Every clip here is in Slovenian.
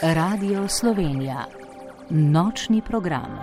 Radio Slovenija. Nočni program.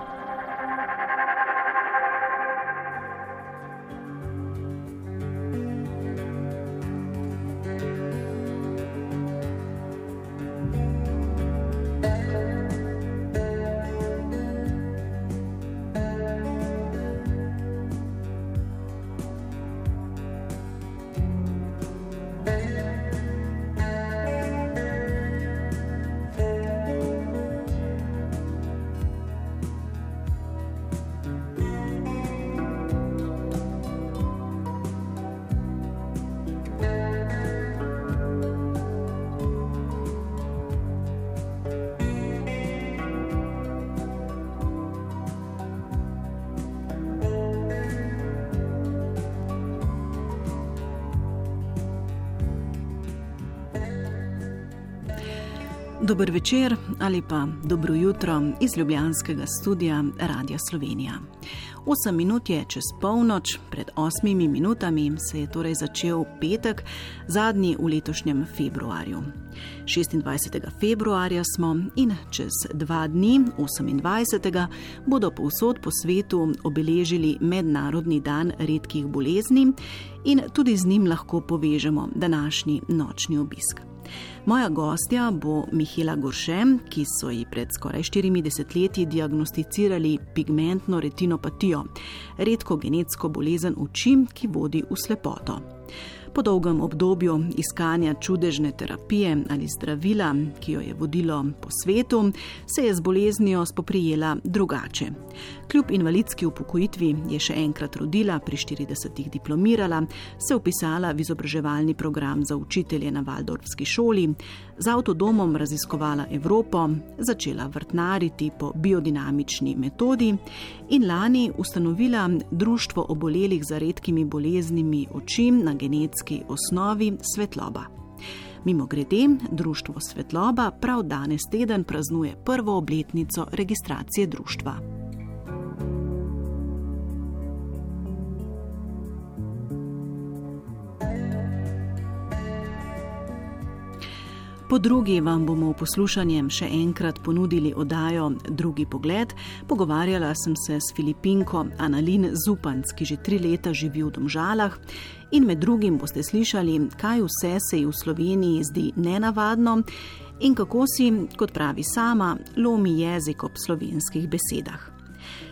Dober večer ali pa dobro jutro iz ljubljanskega studia Radia Slovenija. 8 minut je čez polnoč, pred 8 minutami se je torej začel petek, zadnji v letošnjem februarju. 26. februarja smo in čez 2 dni, 28. bodo povsod po svetu obeležili Mednarodni dan redkih bolezni in tudi z njim lahko povežemo današnji nočni obisk. Moja gostja bo Mihaela Gorše, ki so ji pred skoraj 40 leti diagnosticirali pigmentno retinopatijo, redko genetsko bolezen oči, ki vodi v slepoto. Po dolgem obdobju iskanja čudežne terapije ali zdravila, ki jo je vodilo po svetu, se je z boleznijo spoprijela drugače. Kljub invalidski upokojitvi je še enkrat rodila, pri 40 diplomirala, se vpisala v izobraževalni program za učitelje na Valdorfski šoli, z avtodomom raziskovala Evropo, začela vrtnariti po biodinamični metodi in lani ustanovila Društvo obolelih za redkimi boleznimi oči na genetski osnovi Svetloba. Mimogrede, Društvo Svetloba prav danes teden praznuje prvo obletnico registracije društva. Po drugi vam bomo v poslušanjem še enkrat ponudili oddajo Drugi pogled. Pogovarjala sem se s Filipinko Annalin Zupanc, ki že 3 leta živi v Domžalah, in med drugim boste slišali, kaj vse se ji v Sloveniji zdi nenavadno in kako si, kot pravi sama, lomi jezik ob slovenskih besedah.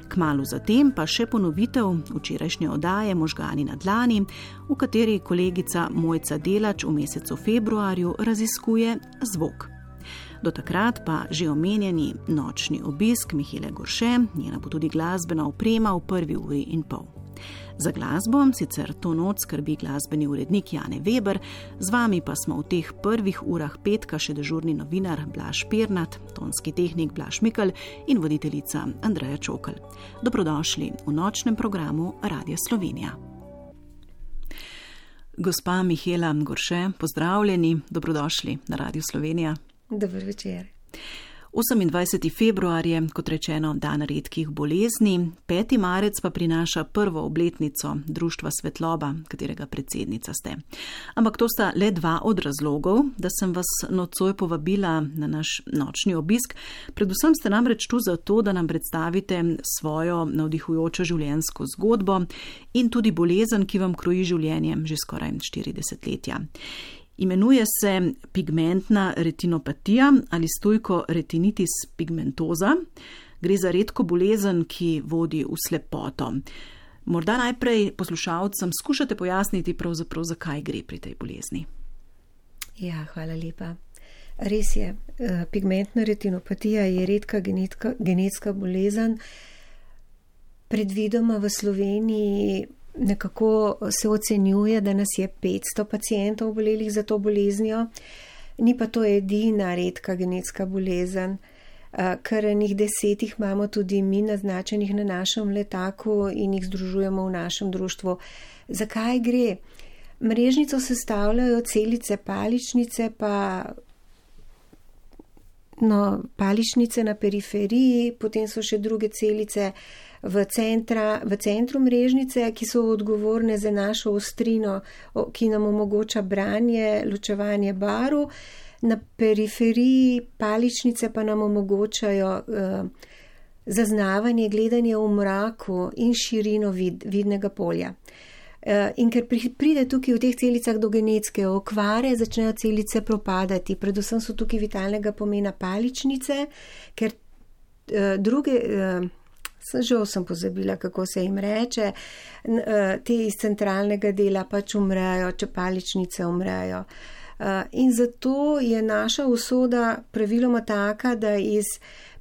Kmalu zatem pa še ponovitev včerajšnje oddaje Možgani na dlani, v kateri kolegica Mojca Delač v mesecu februarju raziskuje zvok. Do takrat pa že omenjeni nočni obisk Mihaele Gorše, njena bo tudi glasbena oprema v 1 uri in pol. Za glasbo sicer to noč skrbi glasbeni urednik Jane Weber, z vami pa smo v teh prvih urah petka še dežurni novinar Blaž Pirnat, tonski tehnik Blaž Mikl in voditeljica Andreja Čokl. Dobrodošli v nočnem programu Radia Slovenija. Gospa Mihaela Gorše, pozdravljeni, dobrodošli na Radio Slovenija. Dober večer. 28. februar je, kot rečeno, dan redkih bolezni, 5. marec pa prinaša prvo obletnico Društva Svetloba, katerega predsednica ste. Ampak to sta le 2 od razlogov, da sem vas nocoj povabila na naš nočni obisk. Predvsem ste namreč tu zato, da nam predstavite svojo navdihujočo življenjsko zgodbo in tudi bolezen, ki vam kroji življenje že skoraj 40 letja. Imenuje se pigmentna retinopatija ali stojko retinitis pigmentoza. Gre za redko bolezen, ki vodi v slepoto. Morda najprej poslušalcem skušate pojasniti pravzaprav, zakaj gre pri tej bolezni. Ja, hvala lepa. Res je, pigmentna retinopatija je redka genetska bolezen. Predvidoma v Sloveniji nekako se ocenjuje, da nas je 500 pacientov obolelih za to boleznijo. Ni pa to edina redka genetska bolezen. Kar enih 10 jih imamo tudi mi naznačenih na našem letaku in jih združujemo v našem društvu. Zakaj gre? Mrežnico sestavljajo celice paličnice, paličnice na periferiji, potem so še druge celice v centru mrežnice, ki so odgovorne za našo ostrino, ki nam omogoča branje, ločevanje barv. Na periferiji paličnice pa nam omogočajo zaznavanje, gledanje v mraku in širino vidnega polja. In ker pride tukaj v teh celicah do genetske okvare, začnejo celice propadati. Predvsem so tukaj vitalnega pomena paličnice, ker druge, sem pozabila, kako se jim reče, te iz centralnega dela pač umrejo, če paličnice umrejo. In zato je naša usoda praviloma taka, da iz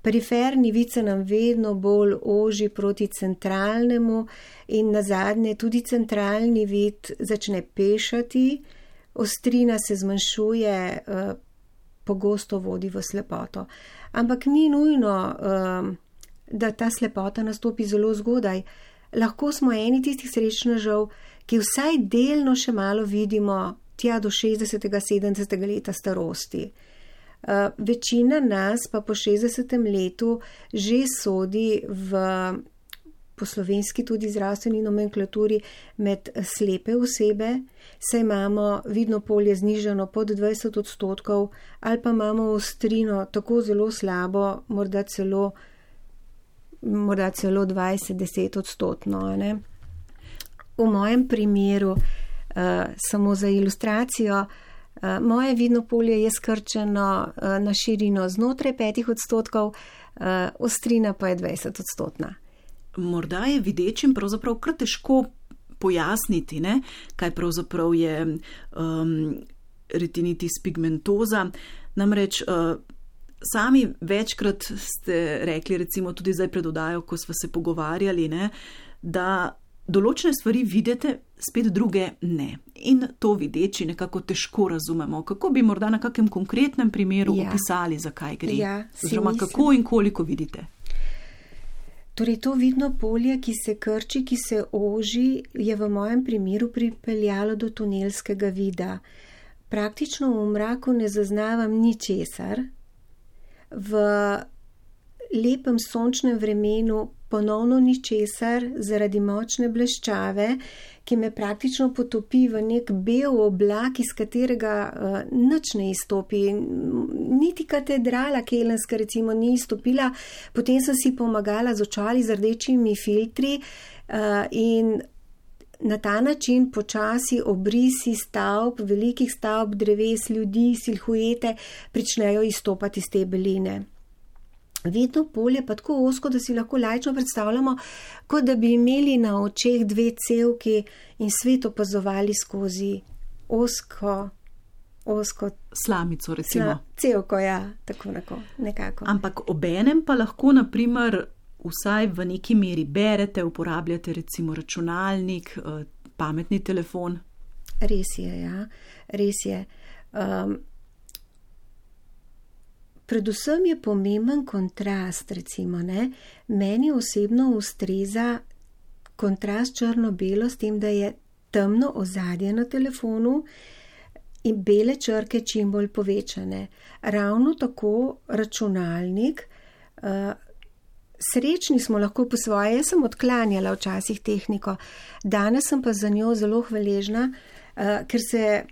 periferni vid se nam vedno bolj oži proti centralnemu in nazadnje tudi centralni vid začne pešati, ostrina se zmanjšuje, pogosto vodi v slepoto. Ampak ni nujno, da ta slepota nastopi zelo zgodaj. Lahko smo eni tistih srečnežev, ki vsaj delno še malo vidimo tja do 60-70 leta starosti. Večina nas pa po 60. letu že sodi po slovenski tudi zdravstveni nomenklaturi med slepe osebe, saj imamo vidno polje znižano pod 20% ali pa imamo ostrino tako zelo slabo, morda celo 20-10%. V mojem primeru, samo za ilustracijo, moje vidno polje je skrčeno na širino znotraj 5%, ostrina pa je 20%. Morda je videčim pravzaprav kar težko pojasniti, ne? Kaj pravzaprav je retinitis pigmentoza. Namreč sami večkrat ste rekli, recimo tudi zdaj pred oddajo, ko smo se pogovarjali, ne, da določene stvari vidite, spet druge ne. In to videči nekako težko razumemo. Kako bi morda na kakem konkretnem primeru opisali, zakaj gre? Oziroma, kako in koliko vidite? Torej, to vidno polje, ki se krči, ki se oži, je v mojem primeru pripeljalo do tunelskega vida. Praktično v mraku ne zaznavam ničesar. V lepem sončnem vremenu ponovno ničesar zaradi močne bleščave, ki me praktično potopi v nek bel oblak, iz katerega nič ne izstopi. Niti katedrala kelenska recimo ni izstopila, potem sem si pomagala z očali z rdečimi filtri in na ta način počasi obrisi stavb, velikih stavb, dreves, ljudi, silhuete pričnejo izstopati iz te beline. Vidno polje pa tako ozko, da si lahko laično predstavljamo, kot da bi imeli na očeh dve cevki in svet opazovali skozi ozko slamico, recimo. Cevko, ja, tako nekako. Ampak obenem pa lahko, naprimer, vsaj v neki meri berete, uporabljate recimo računalnik, pametni telefon. Res je, ja, res je. Predvsem je pomemben kontrast, recimo, ne. Meni osebno ustreza kontrast črno-belo s tem, da je temno ozadje na telefonu in bele črke čim bolj povečane. Ravno tako računalnik, srečni smo lahko po svoje, jaz sem odklanjala včasih tehniko, danes sem pa za njo zelo hvaležna, ker se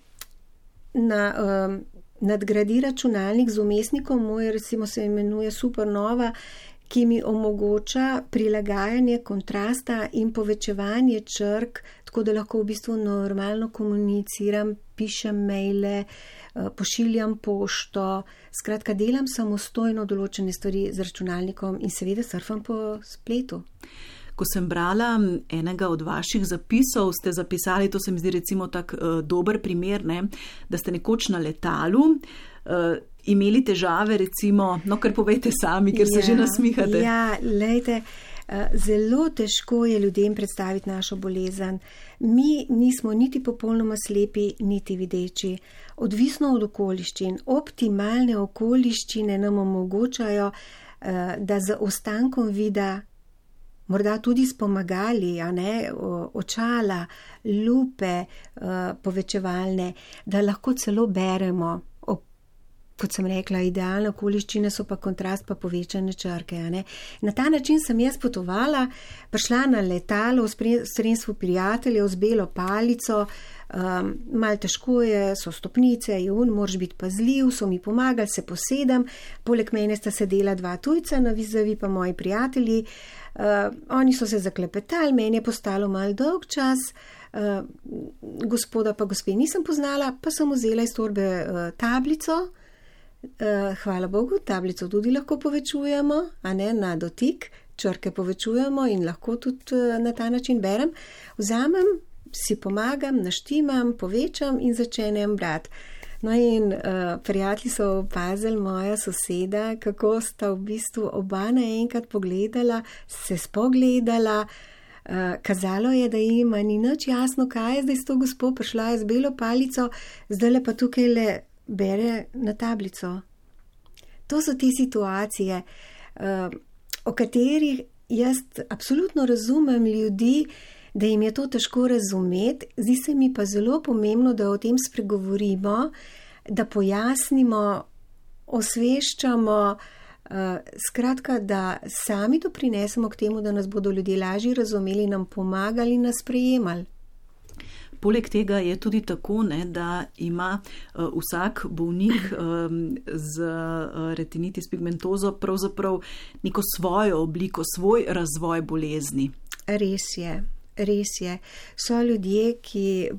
nadgradi računalnik z vmesnikom, moj recimo se imenuje Supernova, ki mi omogoča prilagajanje kontrasta in povečevanje črk, tako da lahko v bistvu normalno komuniciram, pišem maile, pošiljam pošto, skratka delam samostojno določene stvari z računalnikom in seveda surfam po spletu. Ko sem brala enega od vaših zapisov, ste zapisali, to se mi zdi recimo tak dober primer, ne, da ste nekoč na letalu imeli težave, recimo, no kar povejte sami, ker se že nasmihate. Ja, lejte, zelo težko je ljudem predstaviti našo bolezen. Mi nismo niti popolnoma slepi, niti videči. Odvisno od okoliščin. Optimalne okoliščine nam omogočajo, da z ostankom vida, morda tudi s pomagali, a ne, očala, lupe povečevalne, da lahko celo beremo kot sem rekla, idealne okoliščine so pa kontrast pa povečane črke. Na ta način sem jaz potovala, prišla na letalo v spremstvu prijateljev z belo palico, malo težko je, so stopnice, moraš biti pazljiv, so mi pomagali, se posedem, poleg mene sta sedela 2 tujca, na vizavi pa moji prijatelji, oni so se zaklepetali, meni je postalo malo dolg čas, gospoda pa gospe nisem poznala, pa sem vzela iz torbe tablico, hvala Bogu, tablico tudi lahko povečujemo, na dotik, črke povečujemo in lahko tudi na ta način berem, vzamem, si pomagam, naštimam, povečam in začenem brati. No in prijatelji so opazili moja soseda, kako sta v bistvu oba naenkrat pogledala, se spogledala, kazalo je, da jima ni nič jasno, kaj je zdaj s to gospo, prišla je z belo palico, zdaj pa tukaj le bere na tablico. To so te situacije, o katerih jaz absolutno razumem ljudi, da jim je to težko razumeti, zdi se mi pa zelo pomembno, da o tem spregovorimo, da pojasnimo, osveščamo, skratka, da sami doprinesemo k temu, da nas bodo ljudje lažje razumeli, nam pomagali, nas sprejemali. Poleg tega je tudi tako, da ima vsak bolnik z retinitis pigmentozo pravzaprav neko svojo obliko, svoj razvoj bolezni. Res je. So ljudje, ki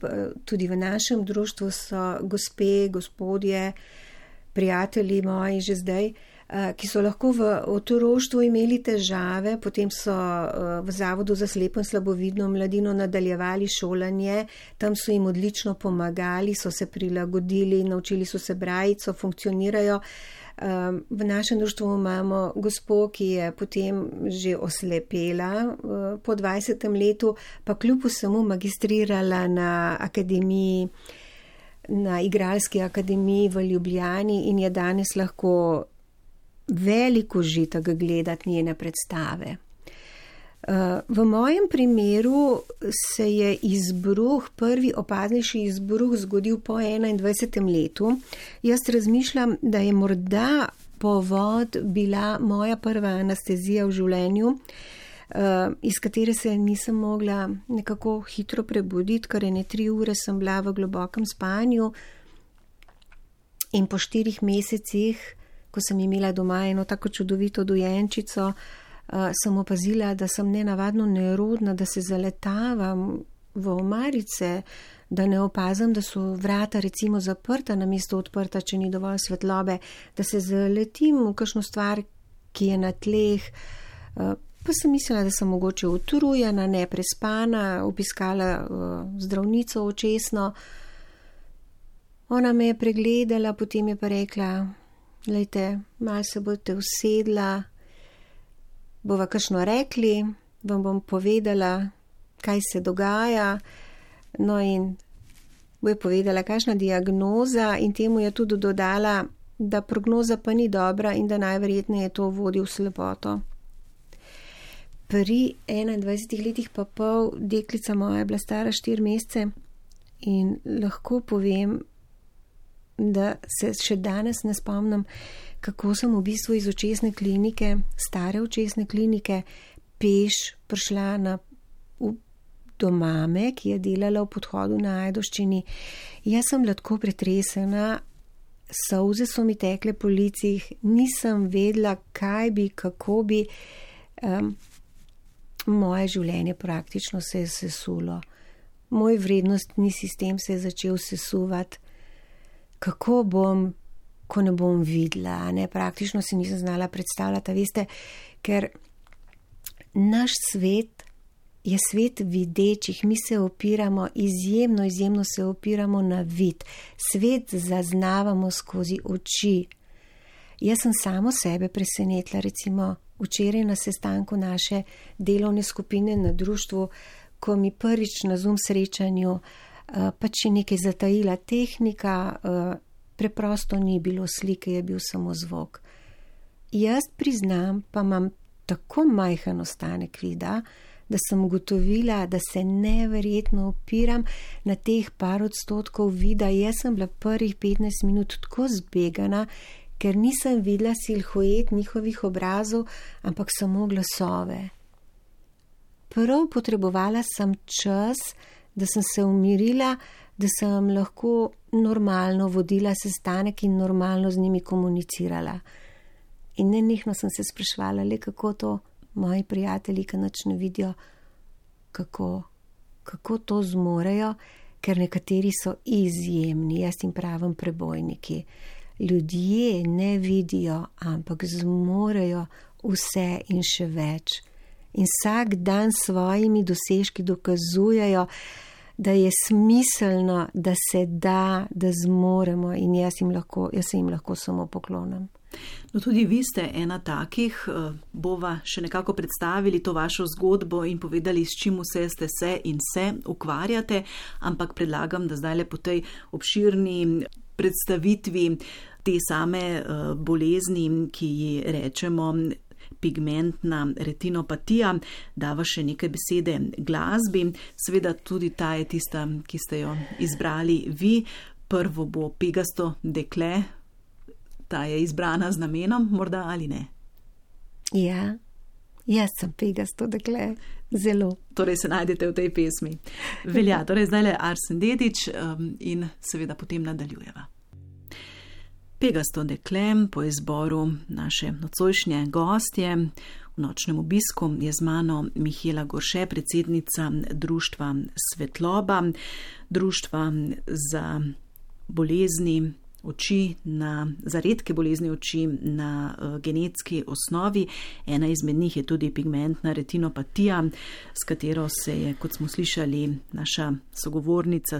tudi v našem društvu so gospe, gospodje, prijatelji moji že zdaj, ki so lahko v otroštvu imeli težave, potem so v Zavodu za slepo in slabovidno mladino nadaljevali šolanje, tam so jim odlično pomagali, so se prilagodili, naučili so se brati, so funkcionirajo. V našem društvu imamo gospo, ki je potem že oslepela po 20. letu, pa kljub vsemu magistrirala na akademiji, na igralski akademiji v Ljubljani in je danes lahko veliko užitek gledati njene predstave. V mojem primeru se je izbruh, prvi opaznejši izbruh zgodil po 21. letu. Jaz razmišljam, da je morda povod bila moja prva anestezija v življenju, iz katere se nisem mogla nekako hitro prebuditi, ker 3 ure sem bila v globokem spanju in po 4 mesecih, ko sem imela doma eno tako čudovito dojenčico, sem opazila, da sem nenavadno nerodna, da se zaletavam v omarice, da ne opazim, da so vrata recimo zaprta namesto odprta, če ni dovolj svetlobe, da se zaletim v kakšno stvar, ki je na tleh. Pa sem mislila, da sem mogoče utrujena, neprespana, obiskala zdravnico očesno. Ona me je pregledala, potem je pa rekla, glejte, malo se boste usedla, bova kakšno rekli, vam bom povedala, kaj se dogaja, no in bo je povedala, kakšna diagnoza in temu je tudi dodala, da prognoza pa ni dobra in da najverjetneje to vodi v slepoto. Pri 21 letih pa pol deklica moja je bila stara 4 mesece in lahko povem, da se še danes ne spomnim, kako sem v bistvu iz očesne klinike, stare očesne klinike, peš prišla do mame, ki je delala v Podhodu na Ajdovščini. Jaz sem bila tako pretresena, solze so mi tekle po licih, nisem vedela, kaj bi, kako bi. Moje življenje praktično se je sesulo. Moj vrednostni sistem se je začel sesuvati. Kako bom, ko ne bom videla, praktično si nisem znala predstavljati, veste, ker naš svet je svet videčih, mi se opiramo, izjemno se opiramo na vid, svet zaznavamo skozi oči. Jaz sem samo sebe presenetila, recimo včeraj na sestanku naše delovne skupine na društvu, ko mi prvič na Zoom srečanju pač je nekaj zatajila tehnika, preprosto ni bilo slike, je bil samo zvok. Jaz priznam, pa imam tako majhen ostanek vida, da sem ugotovila, da se neverjetno opiram na teh par odstotkov vida. Jaz sem bila prvih 15 minut tako zbegana, ker nisem videla silhuet njihovih obrazov, ampak samo glasove. Prav potrebovala sem čas, da sem se umirila, da sem lahko normalno vodila sestanek in normalno z njimi komunicirala. In nenehno sem se spraševala, le kako to moji prijatelji, ki nič ne vidijo, kako to zmorejo, ker nekateri so izjemni, jaz jim pravim prebojniki. Ljudje ne vidijo, ampak zmorejo vse in še več. In vsak dan s svojimi dosežki dokazujejo, da je smiselno, da se da, da zmoremo in jaz se jim lahko samo poklonim. No, tudi vi ste ena takih, bova še nekako predstavili to vašo zgodbo in povedali, s čim vse ste se in se ukvarjate, ampak predlagam, da zdaj le po tej obširni predstavitvi te same bolezni, ki ji rečemo pigmentna retinopatija, dava še nekaj besede glasbi. Seveda tudi ta je tista, ki ste jo izbrali vi. Prvo bo Pegasto dekle, ta je izbrana z namenom, morda ali ne? Ja, jaz sem Pegasto dekle, zelo. Torej se najdete v tej pesmi. Velja, torej zdaj le Arsen Dedić in seveda potem nadaljujeva. Pegasto dekle po izboru naše nocojšnje gostje. V nočnem obisku je z mano Mihaela Gorše, predsednica društva Svetloba, društva za bolezni oči, za redke bolezni oči na genetski osnovi. Ena izmed njih je tudi pigmentna retinopatija, s katero se je, kot smo slišali, naša sogovornica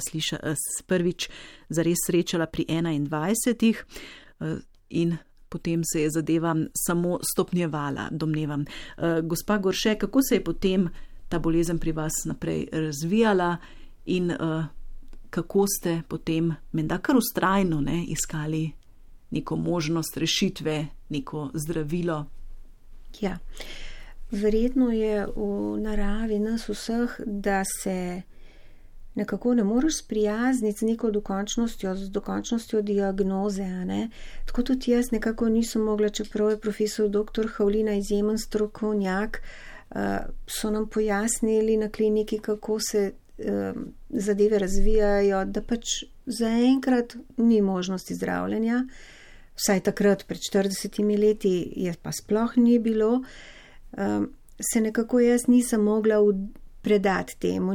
prvič zares srečala pri 21 in potem se je zadeva samo stopnjevala, domnevam. Gospa Gorše, kako se je potem ta bolezen pri vas naprej razvijala in kako ste potem menda kar vztrajno iskali neko možnost rešitve, neko zdravilo? Ja, verjetno je v naravi nas vseh, da se nekako ne moreš sprijazniti z neko dokončnostjo, z dokončnostjo diagnoze. Tako tudi jaz nekako nisem mogla, čeprav je profesor dr. Havlina izjemen strokovnjak, so nam pojasnili na kliniki, kako se zadeve razvijajo, da pač zaenkrat ni možnosti zdravljenja. Vsaj takrat, pred 40 leti, je pa sploh ni bilo. Se nekako jaz nisem mogla predati temu,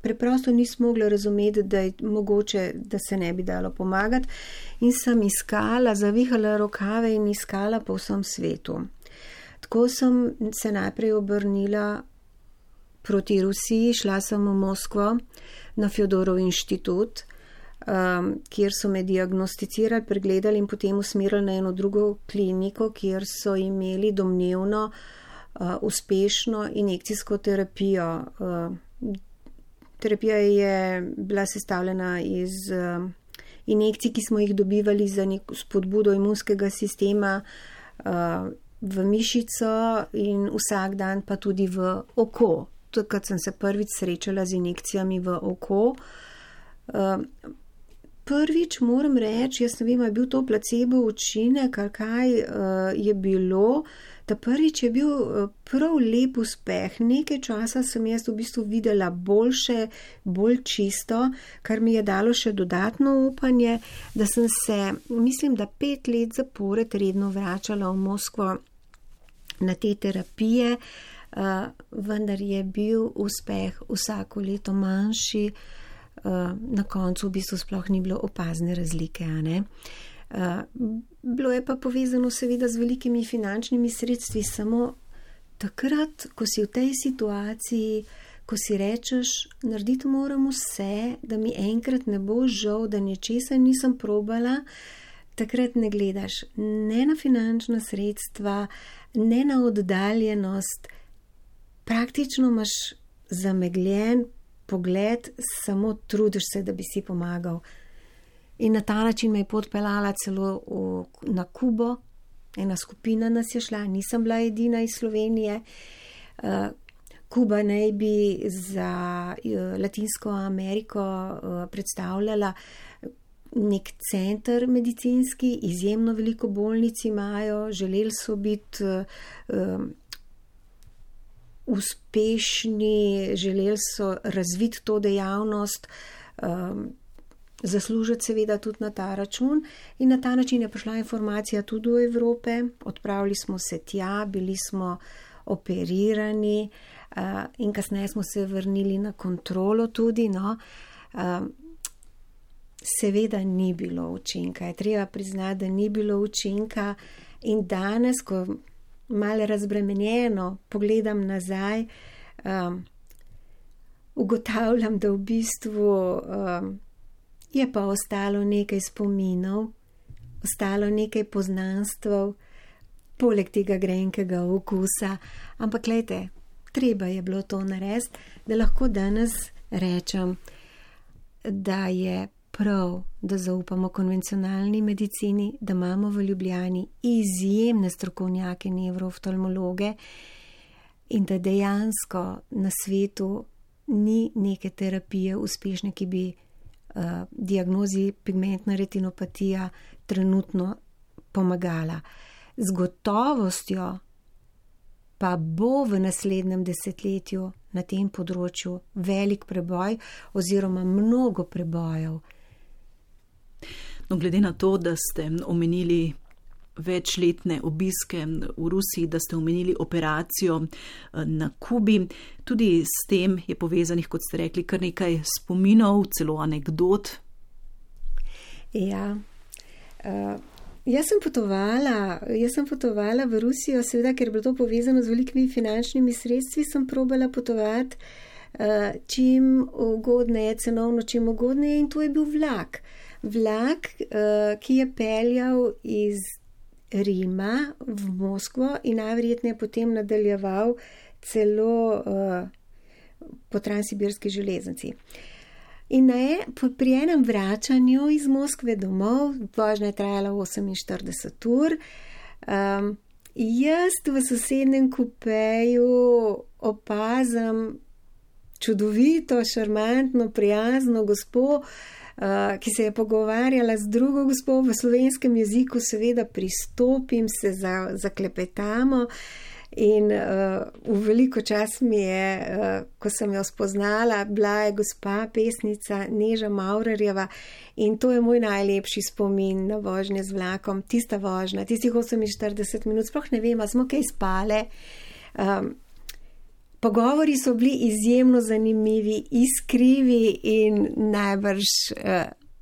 preprosto nisem mogla razumeti, da je mogoče, da se ne bi dalo pomagati, in sem iskala, zavihala rokave in iskala po vsem svetu. Tako sem se najprej obrnila proti Rusiji, šla sem v Moskvo na Fjodorov inštitut, kjer so me diagnosticirali, pregledali in potem usmerili na eno drugo kliniko, kjer so imeli domnevno uspešno injekcijsko terapijo. Terapija je bila sestavljena iz injekcij, ki smo jih dobivali za neko spodbudo imunskega sistema v mišico in vsak dan pa tudi v oko. Takrat sem se prvič srečala z injekcijami v oko. Prvič moram reči, jaz ne vem, je bil to placebo učinek ali kaj je bilo. Ta prvič je bil prav lep uspeh. Nekaj časa sem jaz v bistvu videla boljše, bolj čisto, kar mi je dalo še dodatno upanje, da sem se, mislim, da 5 let zapored redno vračala v Moskvo na te terapije, vendar je bil uspeh vsako leto manjši, na koncu v bistvu sploh ni bilo opazne razlike. Bilo je pa povezano seveda z velikimi finančnimi sredstvi, samo takrat, ko si v tej situaciji, ko si rečeš, narediti moram vse, da mi enkrat ne bo žal, da nečesa nisem probala, takrat ne gledaš ne na finančna sredstva, ne na oddaljenost, praktično imaš zamegljen pogled, samo trudiš se, da bi si pomagal. In na ta način me je pot peljala celo na Kubo, ena skupina nas je šla, nisem bila edina iz Slovenije. Kuba naj bi za Latinsko Ameriko predstavljala nek center medicinski, izjemno veliko bolnic imajo, želeli so biti uspešni, želeli so razviti to dejavnost, zaslužiti seveda tudi na ta račun in na ta način je prišla informacija tudi do Evrope, odpravili smo se tja, bili smo operirani in kasneje smo se vrnili na kontrolo tudi, no. Seveda ni bilo učinka, je treba priznati, da ni bilo učinka in danes, ko malo razbremenjeno pogledam nazaj, ugotavljam, da v bistvu je pa ostalo nekaj spominov, ostalo nekaj poznanstv, poleg tega grenkega okusa, ampak glejte, treba je bilo to narediti, da lahko danes rečem, da je prav, da zaupamo konvencionalni medicini, da imamo v Ljubljani izjemne strokovnjake nevrooftalmologe in da dejansko na svetu ni neke terapije uspešne, ki bi diagnozi pigmentna retinopatija trenutno pomagala. Z gotovostjo pa bo v naslednjem desetletju na tem področju velik preboj oziroma mnogo prebojev. No, glede na to, da ste omenili večletne obiske v Rusiji, da ste omenili operacijo na Kubi, tudi s tem je povezanih, kot ste rekli, kar nekaj spominov, celo anekdot. Ja, jaz sem potovala v Rusijo, seveda, ker je bilo to povezano z velikimi finančnimi sredstvi, sem probala potovati čim ugodneje, cenovno čim ugodneje in to je bil vlak. Vlak, ki je peljal iz Rima v Moskvo in najverjetneje potem nadaljeval celo po transsibirski železnici. In pri enem vračanju iz Moskve domov, vožnja je trajala 48 ur, jaz v sosednjem kupeju opazam čudovito, šarmantno, prijazno gospo, ki se je pogovarjala z drugo gospo v slovenskem jeziku, seveda pristopim, se zaklepetamo in v veliko čas mi je, ko sem jo spoznala, bila je gospa pesnica Neža Maurerjeva in to je moj najlepši spomin na vožnje z vlakom, tista vožnja, tistih 48 minut, sploh ne vem, smo kaj spale. Pogovori so bili izjemno zanimivi, iskrivi in najbrž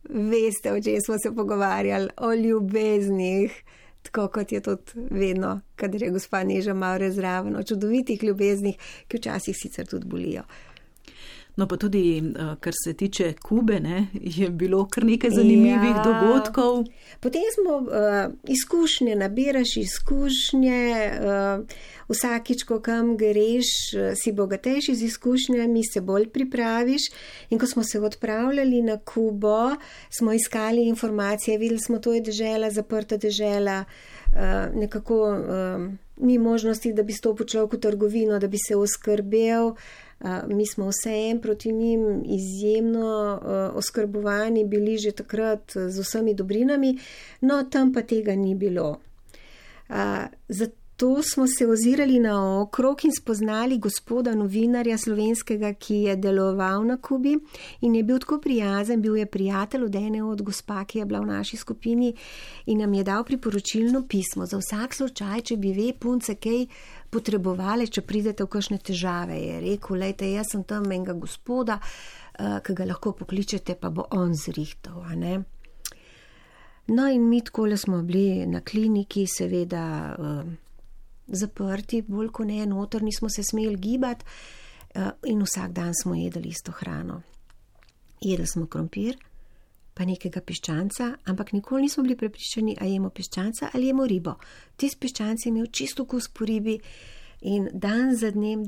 veste, o čem smo se pogovarjali, o ljubeznih, tako kot je tudi vedno, kadar je gospa Neža Maurer zraven, o čudovitih ljubeznih, ki včasih sicer tudi bolijo. No pa tudi, kar se tiče Kube, ne, je bilo kar nekaj zanimivih dogodkov. Potem smo izkušnje, nabiraš izkušnje, vsakič, ko kam greš, si bogatejši z izkušnjami, se bolj pripraviš in ko smo se odpravljali na Kubo, smo iskali informacije, videli smo, to je dežela, zaprta dežela, nekako ni možnosti, da bi stopil človek v trgovino, da bi se oskrbel. Mi smo vseeno proti njim izjemno oskrbovani bili že takrat z vsemi dobrinami, no tam pa tega ni bilo. Zato smo se ozirali naokrog in spoznali gospoda novinarja slovenskega, ki je deloval na Kubi in je bil tako prijazen, bil je prijatelj od ene od gospa, ki je bila v naši skupini in nam je dal priporočilno pismo za vsak slučaj, če bi ve punce kaj potrebovali, če pridete v kakšne težave. Je rekel, lejte, jaz sem tam enega gospoda, ki ga lahko pokličete, pa bo on zrihtal, a ne? No in mi takole smo bili na kliniki, seveda zaprti, bolj kot ne, noter nismo se smeli gibati in vsak dan smo jedli isto hrano. Jedli smo krompir, pa nekega piščanca, ampak nikoli nismo bili prepričani, a jemo piščanca ali jemo ribo. Tisti piščanc je imel čisto okus po ribi in dan za dnem,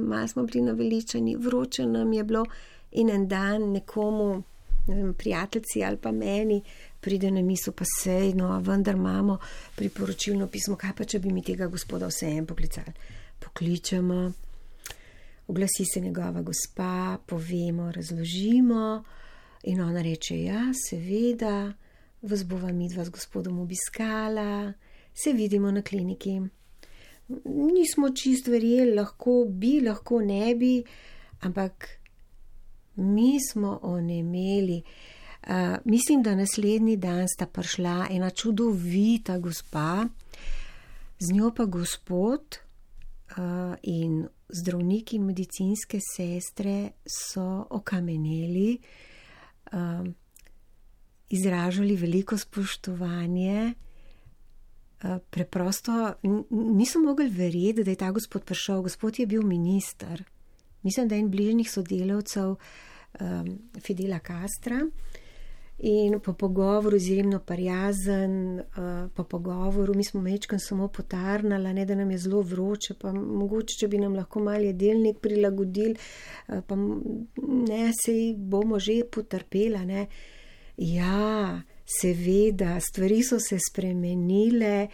malo smo bili naveličani, vroče nam je bilo in en dan nekomu, ne vem, prijateljci ali pa meni, pride na misel, pa sej, no, vendar imamo priporočilno pismo, kaj pa, če bi mi tega gospoda vseeno poklicali. Pokličemo, Oglasi se njegova gospa, povemo, razložimo in ona reče, ja, seveda, vas bova midva z gospodom obiskala, se vidimo na kliniki. Nismo čist verjeli, lahko bi, lahko ne bi, ampak mi smo onemeli. Mislim, da naslednji dan sta prišla ena čudovita gospa, z njo pa gospod in zdravniki in medicinske sestre so okameneli, izražali veliko spoštovanje, preprosto niso mogli verjeti, da je ta gospod prišel. Gospod je bil minister, mislim, da je en bližnjih sodelavcev Fidela Castra in po pogovoru izjemno prijazen, po pogovoru mi smo mečkam samo potarnala, ne da nam je zelo vroče, pa mogoče, če bi nam lahko malo jedelnik prilagodili, pa ne, sej bomo že potrpela, ne. Ja, seveda, stvari so se spremenile,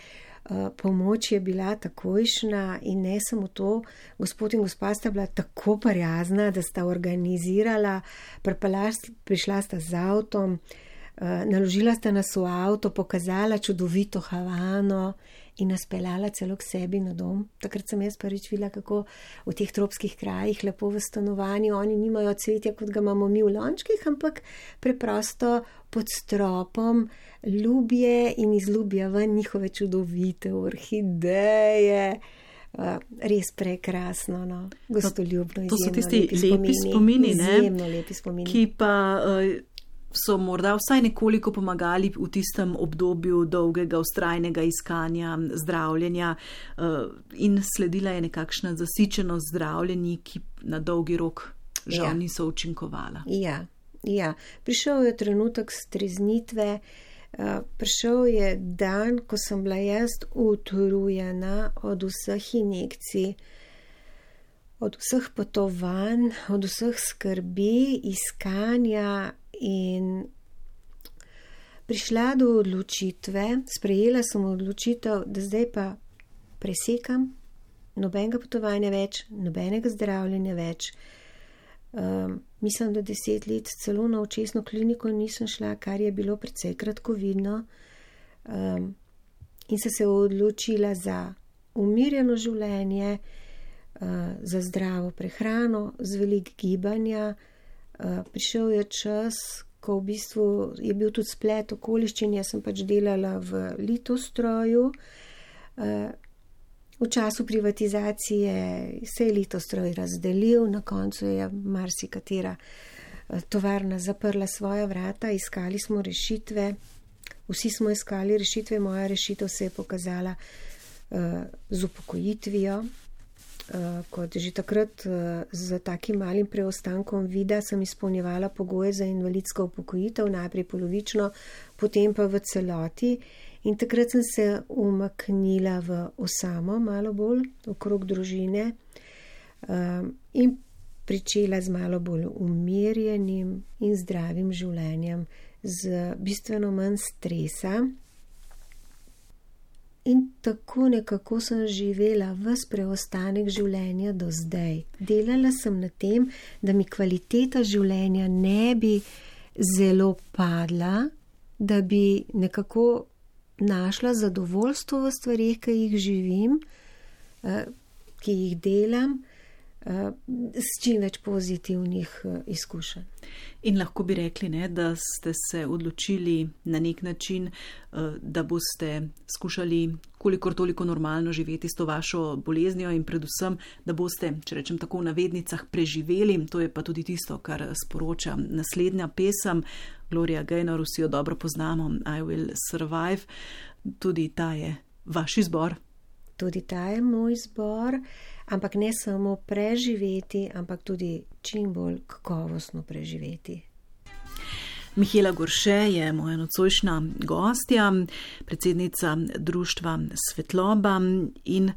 pomoč je bila takojšnja in ne samo to, gospod in gospa sta bila tako prijazna, da sta organizirala, prišla sta z avtom, naložila sta nas v avto, pokazala čudovito Havano in nas peljala celo k sebi na dom. Takrat sem jaz prvič videla, kako v teh tropskih krajih lepo v stanovanju, oni nimajo cvetja, kot ga imamo mi v lončkih, ampak preprosto pod stropom ljubje in iz ljubja ven njihove čudovite orhideje. Res prekrasno, no. Gostoljubno, to so tisti lepi spomini, ne? Izjemno lepi spomini. Ki pa so morda vsaj nekoliko pomagali v tistem obdobju dolgega, vztrajnega iskanja, zdravljenja in sledila je nekakšna zasičenost zdravljenji, ki na dolgi rok žal niso učinkovala. Ja. Prišel je trenutek streznitve, prišel je dan, ko sem bila jaz utrujena od vseh injekcij, od vseh potovanj, od vseh skrbi, iskanja in prišla do odločitve, sprejela sem odločitev, da zdaj pa presekam, nobenega potovanja več, nobenega zdravljenja več. Mislim, da 10 let celo na očesno kliniko nisem šla, kar je bilo precej kratkovidno, in sem se odločila za umirjeno življenje, za zdravo prehrano, z veliko gibanja. Prišel je čas, ko v bistvu je bil tudi splet okoliščin, jaz sem pač delala v litostroju. V času privatizacije se je litostroj razdelil, na koncu je marsikatera tovarna zaprla svoja vrata, iskali smo rešitve, vsi smo iskali rešitve, moja rešitev se je pokazala z upokojitvijo. Kot že takrat z takim malim preostankom vida sem izpolnjevala pogoje za invalidsko upokojitev, najprej polovično, potem pa v celoti. In takrat sem se umaknila v osamo, malo bolj okrog družine, in pričela z malo bolj umirjenim in zdravim življenjem, z bistveno manj stresa. In tako nekako sem živela ves preostanek življenja do zdaj. Delala sem na tem, da mi kvaliteta življenja ne bi zelo padla, da bi nekako našla zadovoljstvo v stvarih, ki jih živim, ki jih delam, s čim več pozitivnih izkušenj. In lahko bi rekli, ne, da ste se odločili na nek način, da boste skušali kolikor toliko normalno živeti s to vašo boleznijo in predvsem, da boste, če rečem tako v navednicah, preživeli. To je pa tudi tisto, kar sporoča naslednja pesem. Gloria Gaynor, vsi jo dobro poznamo, I Will Survive. Tudi ta je vaš izbor. Tudi ta je moj izbor, ampak ne samo preživeti, ampak tudi čim bolj kakovostno preživeti. Mihaela Gorše je moja nocojšnja gostja, predsednica društva Svetloba in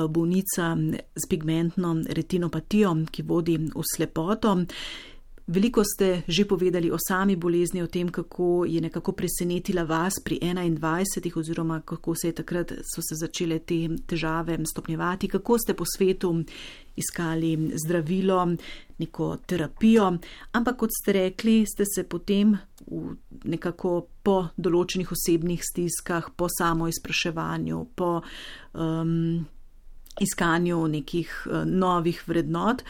bolnica s pigmentno retinopatijo, ki vodi v slepoto. Veliko ste že povedali o sami bolezni, o tem, kako je nekako presenetila vas pri 21 oziroma kako so se začele te težave stopnjevati, kako ste po svetu iskali zdravilo, neko terapijo, ampak kot ste rekli, ste se potem nekako po določenih osebnih stiskah, po samoizpraševanju, po iskanju nekih novih vrednot,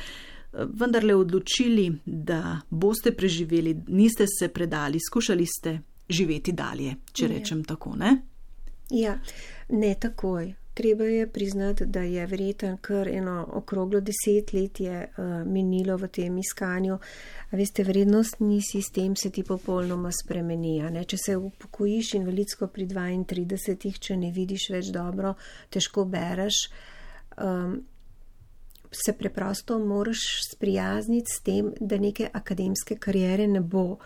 vendarle odločili, da boste preživeli, niste se predali, skušali ste živeti dalje, če rečem tako, ne? Ja, ne takoj. Treba je priznati, da je verjetno kar eno okroglo 10 let je minilo v tem iskanju. A veste, vrednostni sistem se ti popolnoma spremeni. Če se upokojiš invalidsko pri 32, če ne vidiš več dobro, težko bereš, se preprosto moraš sprijazniti s tem, da neke akademske kariere ne bo.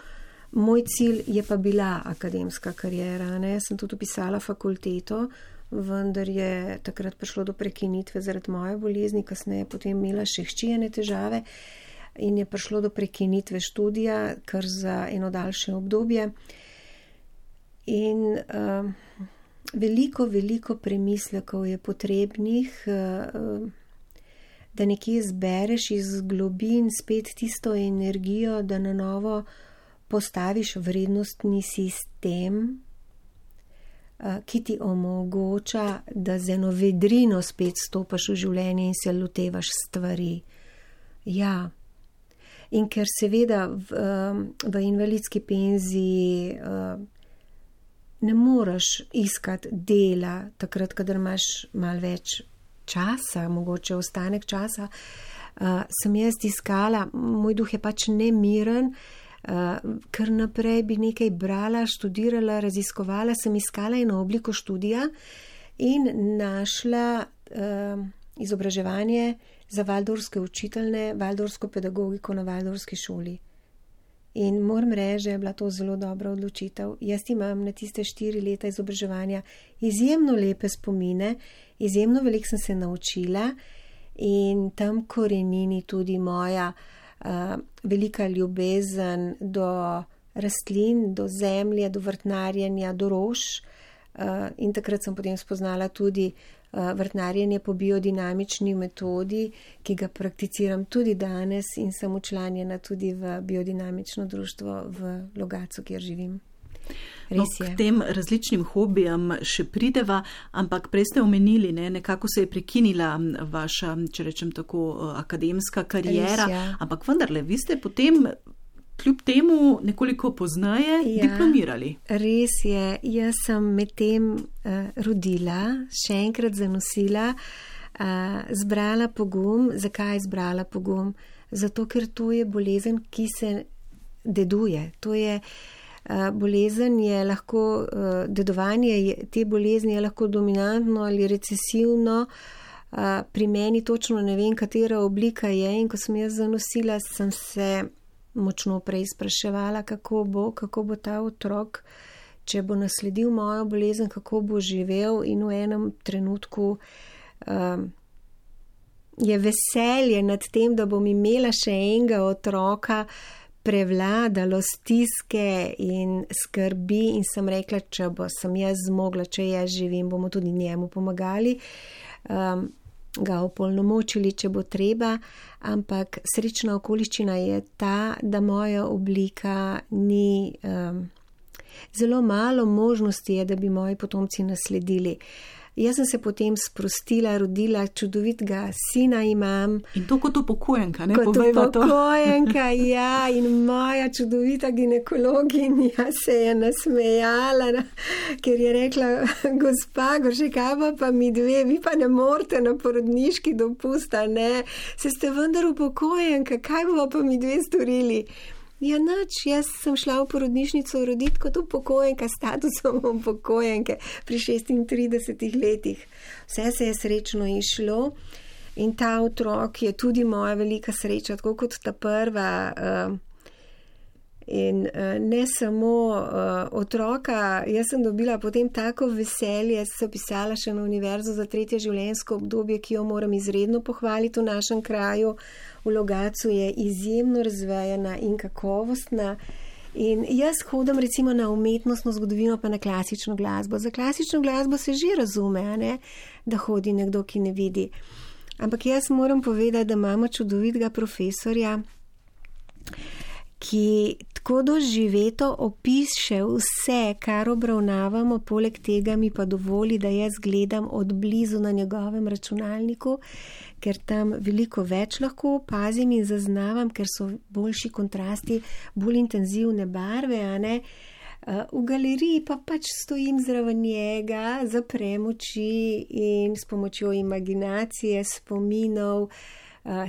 Moj cilj je pa bila akademska kariera. Jaz sem tudi upisala fakulteto, vendar je takrat prišlo do prekinitve zaradi moje bolezni, kasneje potem imela še hčijene težave in je prišlo do prekinitve študija, kar za eno daljše obdobje. In veliko premislekov je potrebnih, da nekje zbereš iz globin spet tisto energijo, da na novo postaviš vrednostni sistem, ki ti omogoča, da z eno vedrino spet stopaš v življenje in se lotevaš stvari. Ja, in ker seveda v invalidski penziji ne moreš iskati dela takrat, kadar imaš malo več časa, mogoče ostanek časa, sem jaz iskala, moj duh je pač nemiren, ker naprej bi nekaj brala, študirala, raziskovala, sem iskala eno obliko študija in našla izobraževanje za valdorske učiteljne, valdorsko pedagogiko na valdorski šoli. In moram reči, da je bila to zelo dobra odločitev. Jaz imam na tiste 4 leta izobraževanja izjemno lepe spomine, izjemno veliko sem se naučila in tam korenini tudi moja velika ljubezen do rastlin, do zemlje, do vrtnarjenja, do rož. In takrat sem potem spoznala tudi vrtnarjenje po biodinamični metodi, ki ga prakticiram tudi danes in sem včlanjena tudi v biodinamično društvo v Logatcu, kjer živim. K tem različnim hobijem še prideva, ampak prej ste omenili, nekako se je prekinila vaša, če rečem tako, akademska kariera, ampak vendarle, vi ste potem kljub temu nekoliko pozneje diplomirali. Res je, jaz sem medtem rodila, še enkrat zanosila, zbrala pogum. Zakaj zbrala pogum? Zato, ker to je bolezen, ki se deduje. To je bolezen, je lahko, dedovanje te bolezni je lahko dominantno ali recesivno. Pri meni točno ne vem, katera oblika je, in ko sem jaz zanosila, sem se močno prej spraševala, kako bo ta otrok, če bo nasledil mojo bolezen, kako bo živel, in v enem trenutku je veselje nad tem, da bom imela še enega otroka, prevladalo stiske in skrbi, in sem rekla, če sem jaz zmogla, če jaz živim, bomo tudi njemu pomagali, ga opolnomočili, če bo treba, ampak srečna okoliščina je ta, da moja oblika ni, zelo malo možnosti je, da bi moji potomci nasledili. Jaz sem se potem sprostila, rodila, čudovitega sina imam. In to kot upokojenka, ne? Kot upokojenka, ja, in moja čudovita ginekologinja se je nasmejala, ker je rekla, gospa Goršekava, pa mi dve, vi pa ne morete na porodniški dopust, ne? Se ste vendar upokojenka, kaj bomo pa mi dve storili? Ja, nič, jaz sem šla v porodnišnico roditi kot upokojenka, statusom upokojenke pri 36 letih. Vse se je srečno išlo in ta otrok je tudi moja velika sreča, tako kot ta prva. In ne samo otroka, jaz sem dobila potem tako veselje, sem pisala še na univerzo za 3. življenjsko obdobje, ki jo moram izredno pohvaliti v našem kraju. V Logatcu je izjemno razvejana in kakovostna. In jaz hodim recimo na umetnostno zgodovino pa na klasično glasbo. Za klasično glasbo se že razume, a ne? Da hodi nekdo, ki ne vidi. Ampak jaz moram povedati, da imamo čudovitega profesorja, ki tako doživeto opiše vse, kar obravnavamo, poleg tega mi pa dovoli, da jaz gledam od blizu na njegovem računalniku, ker tam veliko več lahko opazim in zaznavam, ker so boljši kontrasti, bolj intenzivne barve, a ne. V galeriji pa pač stojim zraven njega, zaprem oči in s pomočjo imaginacije, spominov,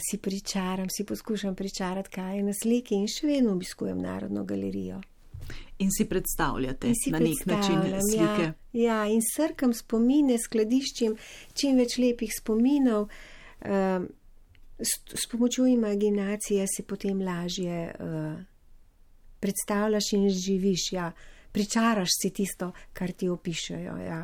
si pričaram, si poskušam pričarati, kaj je na sliki in še vedno obiskujem Narodno galerijo. In si predstavljate na nek način slike. Ja, in srkam spomine, skladiščim čim več lepih spominov. S pomočjo imaginacije si potem lažje predstavljaš in živiš, ja. Pričaraš si tisto, kar ti opišejo. Ja.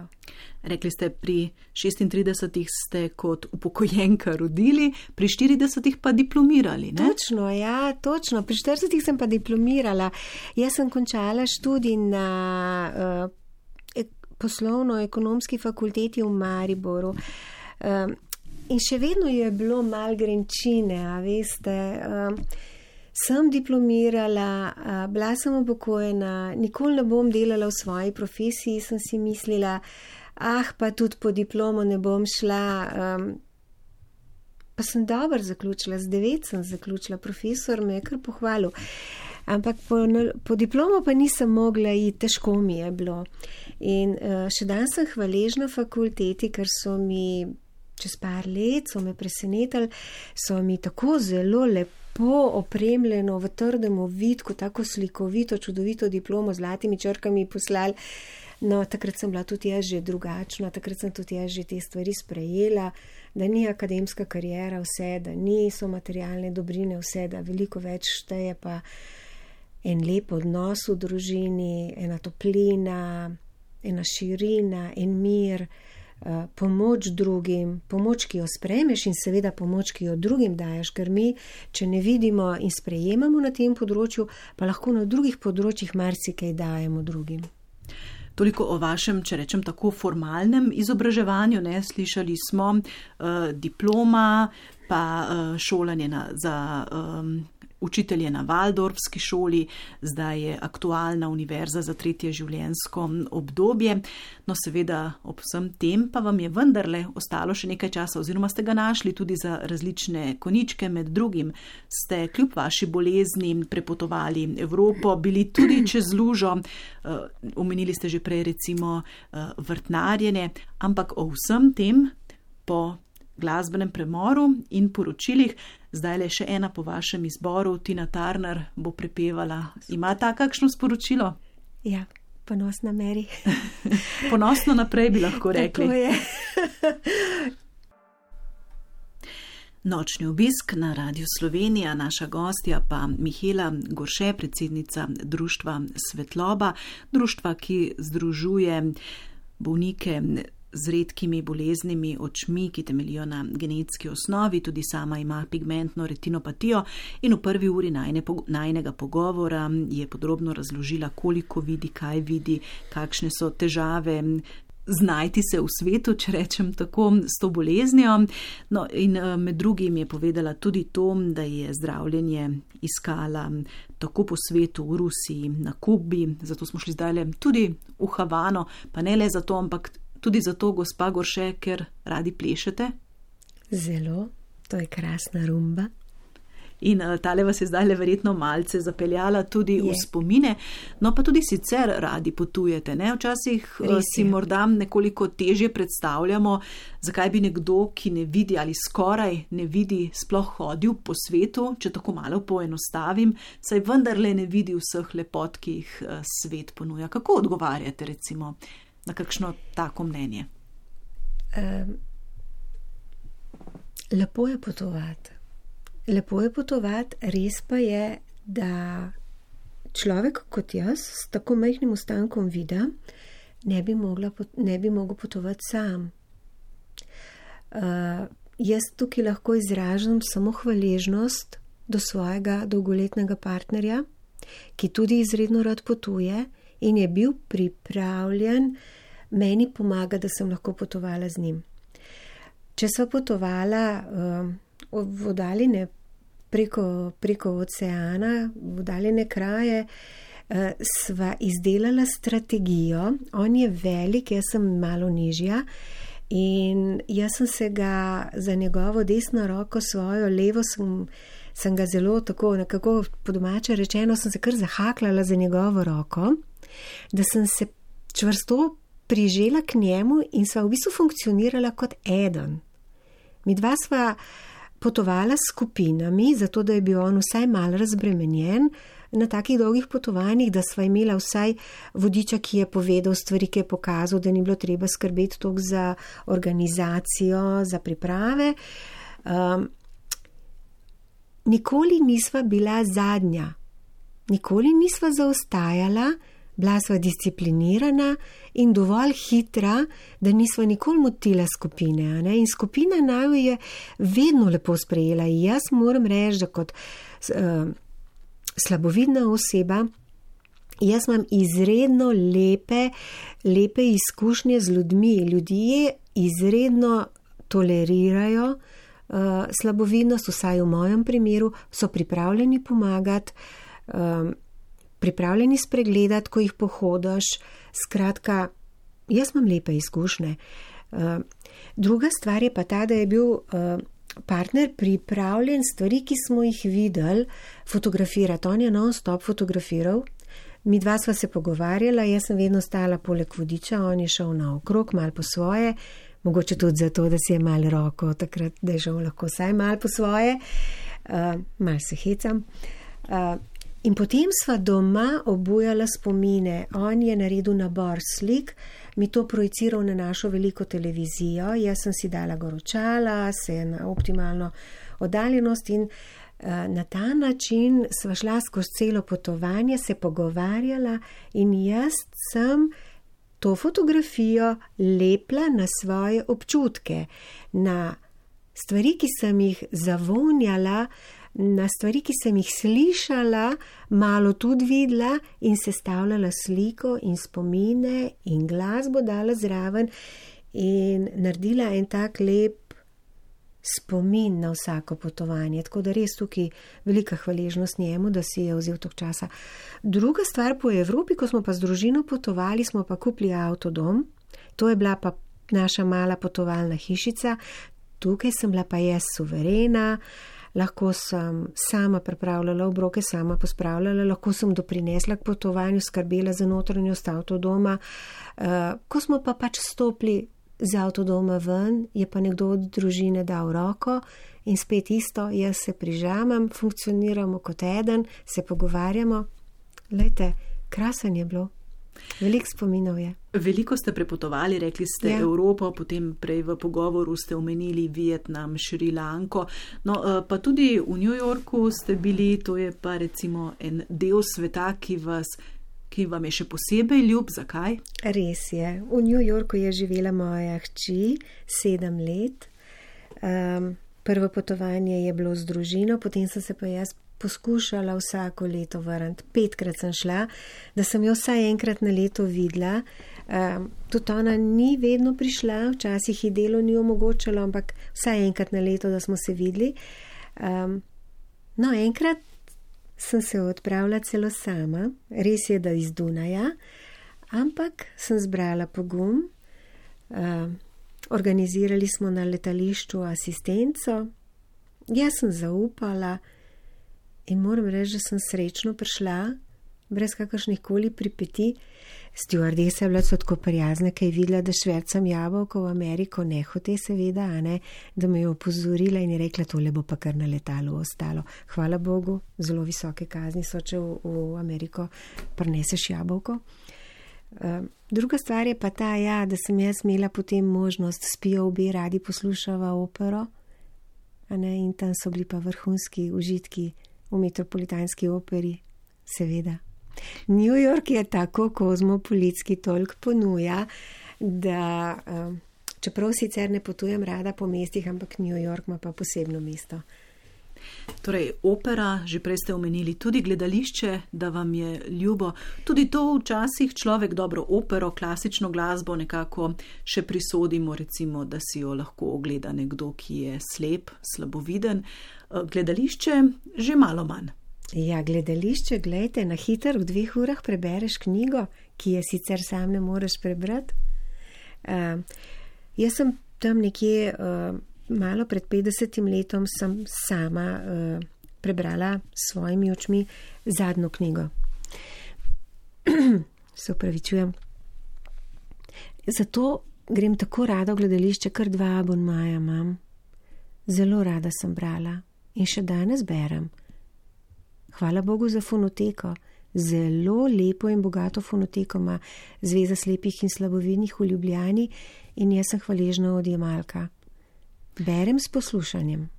Rekli ste, pri 36 ste kot upokojenka rodili, pri 40 pa diplomirali, ne? Točno, ja, točno. Pri 40 sem pa diplomirala. Jaz sem končala študij na poslovno-ekonomski fakulteti v Mariboru. In še vedno je bilo malo grenčine, a veste. Sem diplomirala, bila sem upokojena, nikoli ne bom delala v svoji profesiji, sem si mislila, pa tudi po diplomo ne bom šla. Pa sem dobro zaključila, z 9 sem zaključila, profesor me je kar pohvalil. Ampak po diplomo pa nisem mogla iti, težko mi je bilo. In še dan sem hvaležna fakulteti, ker so mi čez par let, so me presenetili, so mi tako zelo lepo opremljeno v trdem ovitku, tako slikovito, čudovito diplomo z zlatimi črkami poslali. No, takrat sem bila tudi jaz že drugačna, takrat sem tudi jaz že te stvari sprejela, da ni akademska kariera vse, da niso materialne dobrine vse, da veliko več šteje pa en lep odnos v družini, ena toplina, ena širina, en mir, pomoč drugim, pomoč, ki jo sprejmeš in seveda pomoč, ki jo drugim daješ, ker mi, če ne vidimo in sprejemamo na tem področju, pa lahko na drugih področjih marsikaj dajemo drugim. Toliko o vašem, če rečem tako, formalnem izobraževanju, ne, slišali smo diploma, pa šolanje za učitelje na Valdorfski šoli, zdaj je aktualna univerza za 3. življenjsko obdobje. No, seveda ob vsem tem pa vam je vendarle ostalo še nekaj časa oziroma ste ga našli tudi za različne koničke, med drugim ste kljub vaši bolezni prepotovali Evropo, bili tudi čez lužo, omenili ste že prej recimo vrtnarjenje, ampak o vsem tem po glasbenem premoru in poročilih. Zdaj le še ena po vašem izboru, Tina Turner bo prepevala. Ima ta kakšno sporočilo? Ja, ponosna Mary. Ponosno naprej bi lahko rekli. Tako je. Nočni obisk na Radiu Slovenija, naša gostja pa Mihaela Gorše, predsednica društva Svetloba, društva, ki združuje bolnike z redkimi boleznimi očmi, ki temeljijo na genetski osnovi, tudi sama ima pigmentno retinopatijo in v prvi uri najinega pogovora je podrobno razložila, koliko vidi, kaj vidi, kakšne so težave znajti se v svetu, če rečem tako, s to boleznijo. No, in med drugim je povedala tudi to, da je zdravljenje iskala tako po svetu, v Rusiji, na Kubi, zato smo šli zdaj tudi v Havano, pa ne le zato, ampak tudi zato, gospa Gorše, ker radi plešete? Zelo, to je krasna rumba. In tale vas je zdaj verjetno malce zapeljala tudi v spomine, no pa tudi sicer radi potujete, ne? Včasih si morda nekoliko težje predstavljamo, zakaj bi nekdo, ki ne vidi ali skoraj ne vidi, sploh hodil po svetu, če tako malo poenostavim, saj vendarle ne vidi vseh lepot, ki jih svet ponuja. Kako odgovarjate recimo na kakšno tako mnenje? Lepo je potovati. Lepo je potovati, res pa je, da človek kot jaz, s tako majhnim ostankom vida, ne bi mogel potovati sam. Jaz tukaj lahko izražam samo hvaležnost do svojega dolgoletnega partnerja, ki tudi izredno rad potuje in je bil pripravljen meni pomagati, da sem lahko potovala z njim. Če sva potovala v oddaljene preko oceana, v oddaljene kraje, sva izdelala strategijo. On je velik, jaz sem malo nižja in jaz sem se ga za njegovo desno roko, svojo levo sem ga zelo tako, nekako po domače rečeno, sem se kar zahaklala za njegovo roko, da sem se čvrsto prižela k njemu in sva v bistvu funkcionirala kot eden. Mi dva sva potovala s skupinami, zato da je bil on vsaj malo razbremenjen na takih dolgih potovanjih, da sva imela vsaj vodiča, ki je povedal stvari, ki je pokazal, da ni bilo treba skrbeti toliko za organizacijo, za priprave. Nikoli nisva bila zadnja, nikoli nisva zaostajala, bila sva disciplinirana in dovolj hitra, da nisva nikoli motila skupine. Ne? In skupina naju je vedno lepo sprejela. Jaz moram reči, da kot slabovidna oseba, jaz imam izredno lepe izkušnje z ljudmi. Ljudje izredno tolerirajo slabovidnost, vsaj v mojem primeru, so pripravljeni pomagati, pripravljeni spregledati, ko jih pohodiš. Skratka, jaz imam lepe izkušnje. Druga stvar je pa ta, da je bil partner pripravljen stvari, ki smo jih videli, fotografirati. On je non-stop fotografiral. Mi dva sva se pogovarjala, jaz sem vedno stala poleg vodiča, on je šel naokrog, malo po svoje, mogoče tudi zato, da si je malo roko takrat, da je šel lahko vsaj malo po svoje, malo se hecam. In potem sva doma obujala spomine. On je naredil nabor slik, mi to projiciral na našo veliko televizijo, jaz sem si dala goročala, se na optimalno oddaljenost in na ta način sva šla skozi celo potovanje, se pogovarjala in jaz sem to fotografijo lepla na svoje občutke, na stvari, ki sem jih zavonjala, na stvari, ki sem jih slišala, malo tudi videla in sestavljala sliko in spomine in glasbo dala zraven in naredila en tak lep spomin na vsako potovanje. Tako da res tukaj velika hvaležnost njemu, da si je vzel toliko časa. Druga stvar po Evropi, ko smo pa z družino potovali, smo pa kupili avtodom. To je bila pa naša mala potovalna hišica. Tukaj sem bila pa jaz suverena, lahko sem sama pripravljala obroke, sama pospravljala, lahko sem doprinesla k potovanju, skrbela za notranjost avtodoma. Ko smo pa pač stopili z avtodoma ven, je pa nekdo od družine dal roko in spet isto, jaz se prižamem, funkcioniramo kot eden, se pogovarjamo. Glejte, krasen je bilo. Veliko spominov je. Veliko ste prepotovali, rekli ste Evropo, potem prej v pogovoru ste omenili Vietnam, Šrilanko, no pa tudi v New Yorku ste bili, to je pa recimo en del sveta, ki vam je še posebej ljub. Zakaj? Res je. V New Yorku je živela moja hči 7 let. Prvo potovanje je bilo z družino, potem sem se pa jaz poskušala vsako leto vrniti. 5-krat sem šla, da sem jo vsaj enkrat na leto videla. Tudi ona ni vedno prišla, včasih ji delo ni omogočalo, ampak vsaj enkrat na leto, da smo se videli. No, enkrat sem se odpravila celo sama, res je, da iz Dunaja, ampak sem zbrala pogum, organizirali smo na letališču asistenco, jaz sem zaupala in moram reči, da sem srečno prišla, brez kakršnih koli pripeti. Stewardesa je bila tako prijazna, kaj je videla, da švercam jabolko v Ameriko, nehote seveda, da me je opozorila in je rekla, tole bo pa kar na letalu ostalo. Hvala Bogu, zelo visoke kazni so, če v Ameriko prineseš jabolko. Druga stvar je pa ta, da sem jaz imela potem možnost, spijo obe, radi poslušava opero, in tam so bili pa vrhunski užitki v Metropolitanski operi, seveda. New York je tako kozmopolitski, toliko ponuja, da čeprav sicer ne potujem rada po mestih, ampak New York ima pa posebno mesto. Torej, opera, že prej ste omenili, tudi gledališče, da vam je ljubo. Tudi to včasih človek dobro opero, klasično glasbo nekako še prisodimo, recimo, da si jo lahko ogleda nekdo, ki je slep, slaboviden. Gledališče že malo manj. Ja, gledališče, gledajte, na hitro v 2 urah prebereš knjigo, ki je sicer sam ne moreš prebrati. Jaz sem tam nekje malo pred 50 letom sem sama prebrala s svojimi očmi zadnjo knjigo. Se opravičujem. Zato grem tako rada v gledališče, kar 2 abonmaja imam. Zelo rada sem brala in še danes berem. Hvala Bogu za fonoteko. Zelo lepo in bogato fonoteko ima Zveza slepih in slabovidnih v Ljubljani in jaz sem hvaležna odjemalka. Berem s poslušanjem.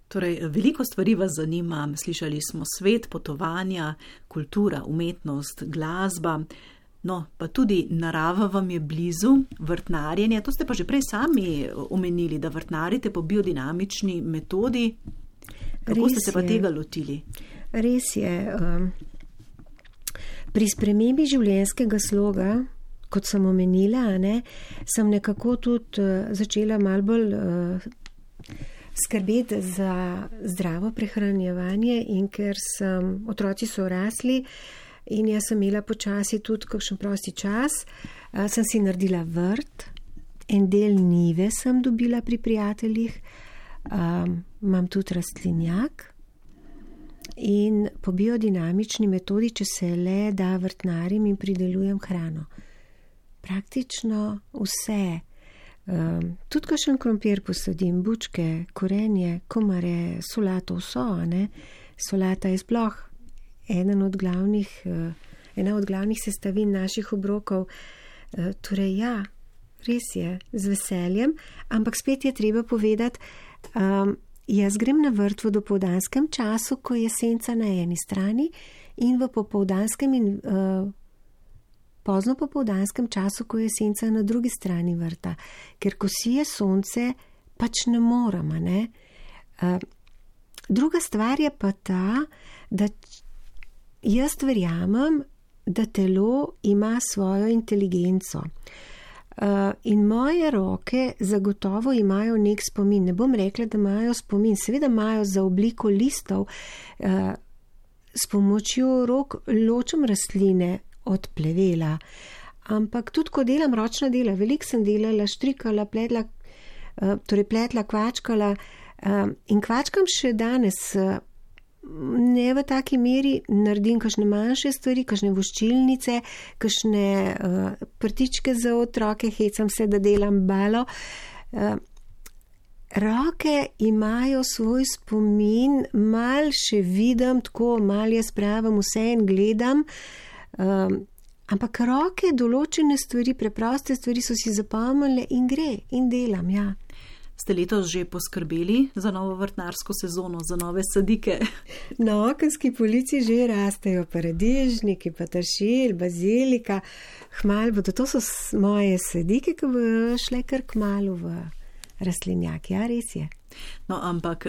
Torej, veliko stvari vas zanima. Slišali smo svet, potovanja, kultura, umetnost, glasba. No, pa tudi narava vam je blizu, vrtnarjenje. To ste pa že prej sami omenili, da vrtnarite po biodinamični metodi. Kako ste se pa tega lotili? Res je. Pri spremembi življenjskega sloga, kot sem omenila, sem nekako tudi začela malo bolj skrbeti za zdravo prehranjevanje in ker otroci so rasli in jaz sem imela počasi tudi kakšen prosti čas, sem si naredila vrt, en del njive sem dobila pri prijateljih, imam tudi rastlinjak. In po biodinamični metodi, če se le da, vrtnarim in pridelujem hrano. Praktično vse. Tudi kakšen krompir posadim, bučke, korenje, komare, solato, vso. Solata je sploh ena od glavnih sestavin naših obrokov. Torej ja, res je, z veseljem, ampak spet je treba povedati, jaz grem na vrt v dopoldanskem času, ko je senca na eni strani in v popoldanskem in pozno popoldanskem času, ko je senca na drugi strani vrta. Ker ko sije sonce, pač ne moremo, Druga stvar je pa ta, da jaz verjamem, da telo ima svojo inteligenco. In moje roke zagotovo imajo nek spomin. Ne bom rekla, da imajo spomin. Seveda imajo za obliko listov. S pomočjo rok ločem rastline od plevela. Ampak tudi, ko delam ročna dela, veliko sem delala, štrikala, pletla, kvačkala in kvačkam še danes. Ne v taki meri, naredim kakšne manjše stvari, kakšne voščilnice, kakšne prtičke za otroke, hecam se, da delam balo. Roke imajo svoj spomin, mal še vidim, tako mal jaz pravim, vse in gledam, ampak roke določene stvari, preproste stvari so si zapomnile in gre in delam, ja. Ste letos že poskrbeli za novo vrtnarsko sezono, za nove sadike? Na okenski polici že rastejo paradižniki, peteršilj, bazilika, hmal bodo. To so moje sadike, ki bodo šle kar kmalu v rastlinjak. Ja, res je. No, ampak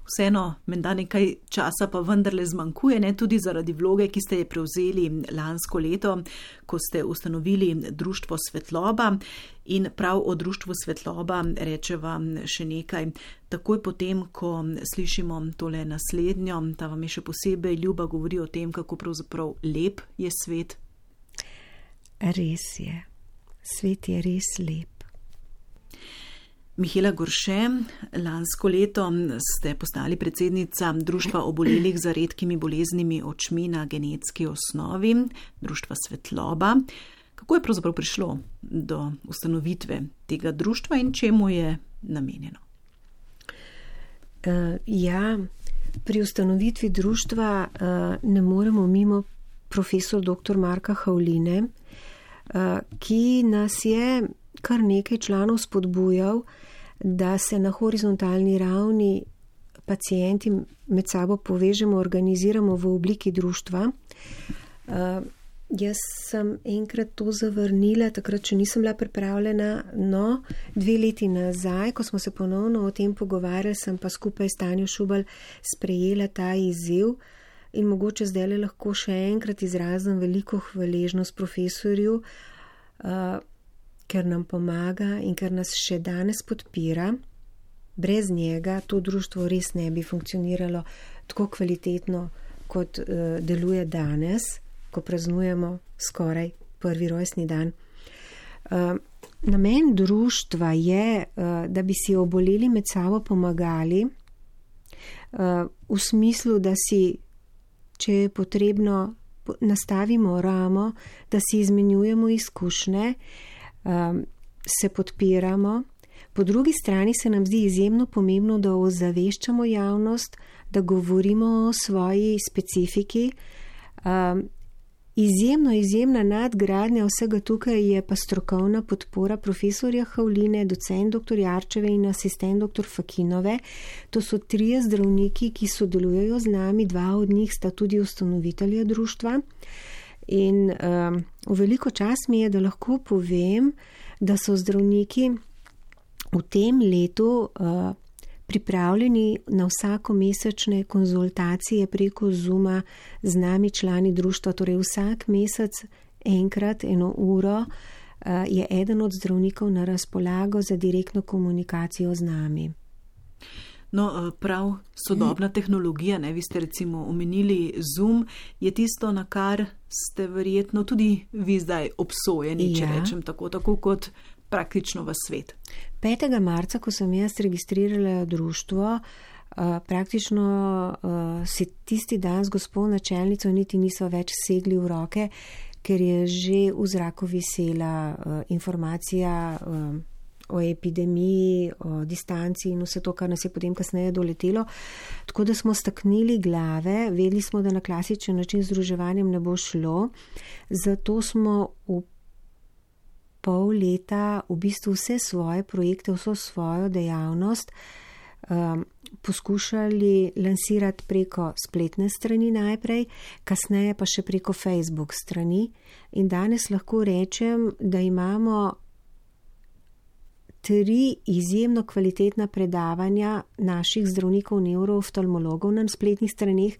vseeno, menda nekaj časa pa vendarle zmanjkuje, tudi zaradi vloge, ki ste je prevzeli lansko leto, ko ste ustanovili Društvo Svetloba. In prav o Društvu Svetloba reče vam še nekaj. Takoj potem, ko slišimo tole naslednjo, ta vam je še posebej ljuba, govori o tem, kako pravzaprav lep je svet. Res je. Svet je res lep. Mihaela Gorše, lansko leto ste postali predsednica Društva obolelih za redkimi boleznimi očmi na genetski osnovi, Društva Svetloba. Kako je pravzaprav prišlo do ustanovitve tega društva in čemu je namenjeno? Pri ustanovitvi društva ne moremo mimo profesor dr. Marka Havline, ki nas je kar nekaj članov spodbujal, da se na horizontalni ravni pacienti med sabo povežemo, organiziramo v obliki društva. Jaz sem enkrat to zavrnila, takrat, če nisem bila pripravljena, no, 2 leti nazaj, ko smo se ponovno o tem pogovarjali, sem pa skupaj s Tanjo Šubelj sprejela ta izziv in mogoče zdaj lahko še enkrat izrazim veliko hvaležnost profesorju, ker nam pomaga in ker nas še danes podpira. Brez njega to društvo res ne bi funkcioniralo tako kvalitetno, kot deluje danes, ko praznujemo skoraj 1. rojstni dan. Namen društva je, da bi si oboleli med sabo pomagali, v smislu, da si, če je potrebno, nastavimo ramo, da si izmenjujemo izkušnje, se podpiramo. Po drugi strani se nam zdi izjemno pomembno, da ozaveščamo javnost, da govorimo o svoji specifiki. Izjemna nadgradnja vsega tukaj je pa strokovna podpora profesorja Havline, docent dr. Jarčeve in asistent dr. Fakinove. To so 3 zdravniki, ki sodelujejo z nami, 2 od njih sta tudi ustanovitelja društva. In v veliko čast mi je, da lahko povem, da so zdravniki v tem letu pripravljeni na vsakomesečne konzultacije preko Zooma z nami člani društva, torej vsak mesec enkrat 1 uro je eden od zdravnikov na razpolago za direktno komunikacijo z nami. No, prav sodobna tehnologija, vi ste recimo omenili Zoom, je tisto, na kar ste verjetno tudi vi zdaj obsojeni, če rečem tako kot praktično v svet. 5. marca, ko sem jaz registrirala društvo, praktično si tisti dan z gospo načelnico niti niso več segli v roke, ker je že v zraku visela informacija o epidemiji, o distanci in vse to, kar nas je potem kasneje doletelo. Tako da smo staknili glave, vedeli smo, da na klasičen način z združevanjem ne bo šlo, zato smo v pol leta v bistvu vse svoje projekte, vso svojo dejavnost poskušali lansirati preko spletne strani najprej, kasneje pa še preko Facebook strani. In danes lahko rečem, da imamo 3 izjemno kvalitetna predavanja naših zdravnikov nevrooftalmologov na spletnih straneh,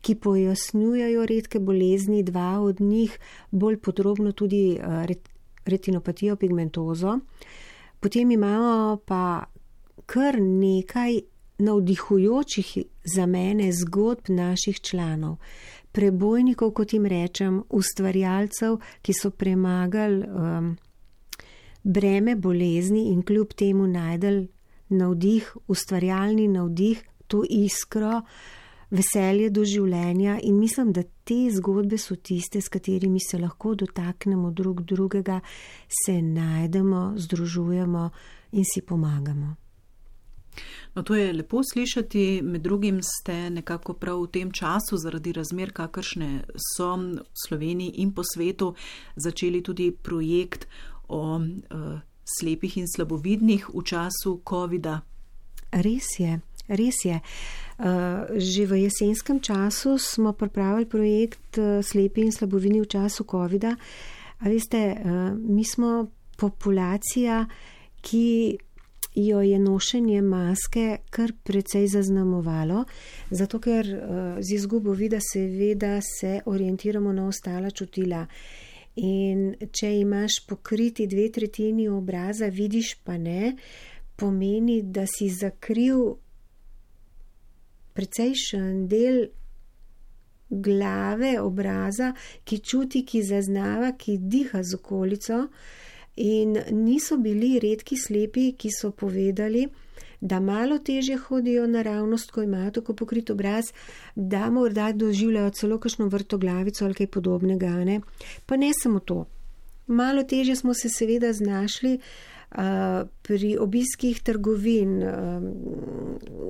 ki pojasnjujejo redke bolezni, 2 od njih bolj podrobno tudi retinopatijo pigmentozo. Potem imamo pa kar nekaj navdihujočih za mene zgodb naših članov, prebojnikov, kot jim rečem, ustvarjalcev, ki so premagali breme bolezni in kljub temu najdel navdih, ustvarjalni navdih, to iskro, veselje do življenja in mislim, da te zgodbe so tiste, s katerimi se lahko dotaknemo drug drugega, se najdemo, združujemo in si pomagamo. No, to je lepo slišati, med drugim ste nekako prav v tem času zaradi razmer, kakršne so v Sloveniji in po svetu, začeli tudi projekt o slepih in slabovidnih v času COVID-a. Res je. Že v jesenskem času smo pripravili projekt Slepi in slabovidni v času COVID-a. A veste, mi smo populacija, ki jo je nošenje maske kar precej zaznamovalo, zato ker z izgubo vida seveda se orientiramo na ostala čutila. In če imaš pokriti 2/3 obraza, vidiš pa ne, pomeni, da si zakril precejšen del glave, obraza, ki čuti, ki zaznava, ki diha z okolico. In niso bili redki slepi, ki so povedali, da malo težje hodijo naravnost, ko imajo tako pokrit obraz, da morda doživljajo celo kakšno vrtoglavico ali kaj podobnega. Ne? Pa ne samo to. Malo težje smo se seveda znašli pri obiskih trgovin,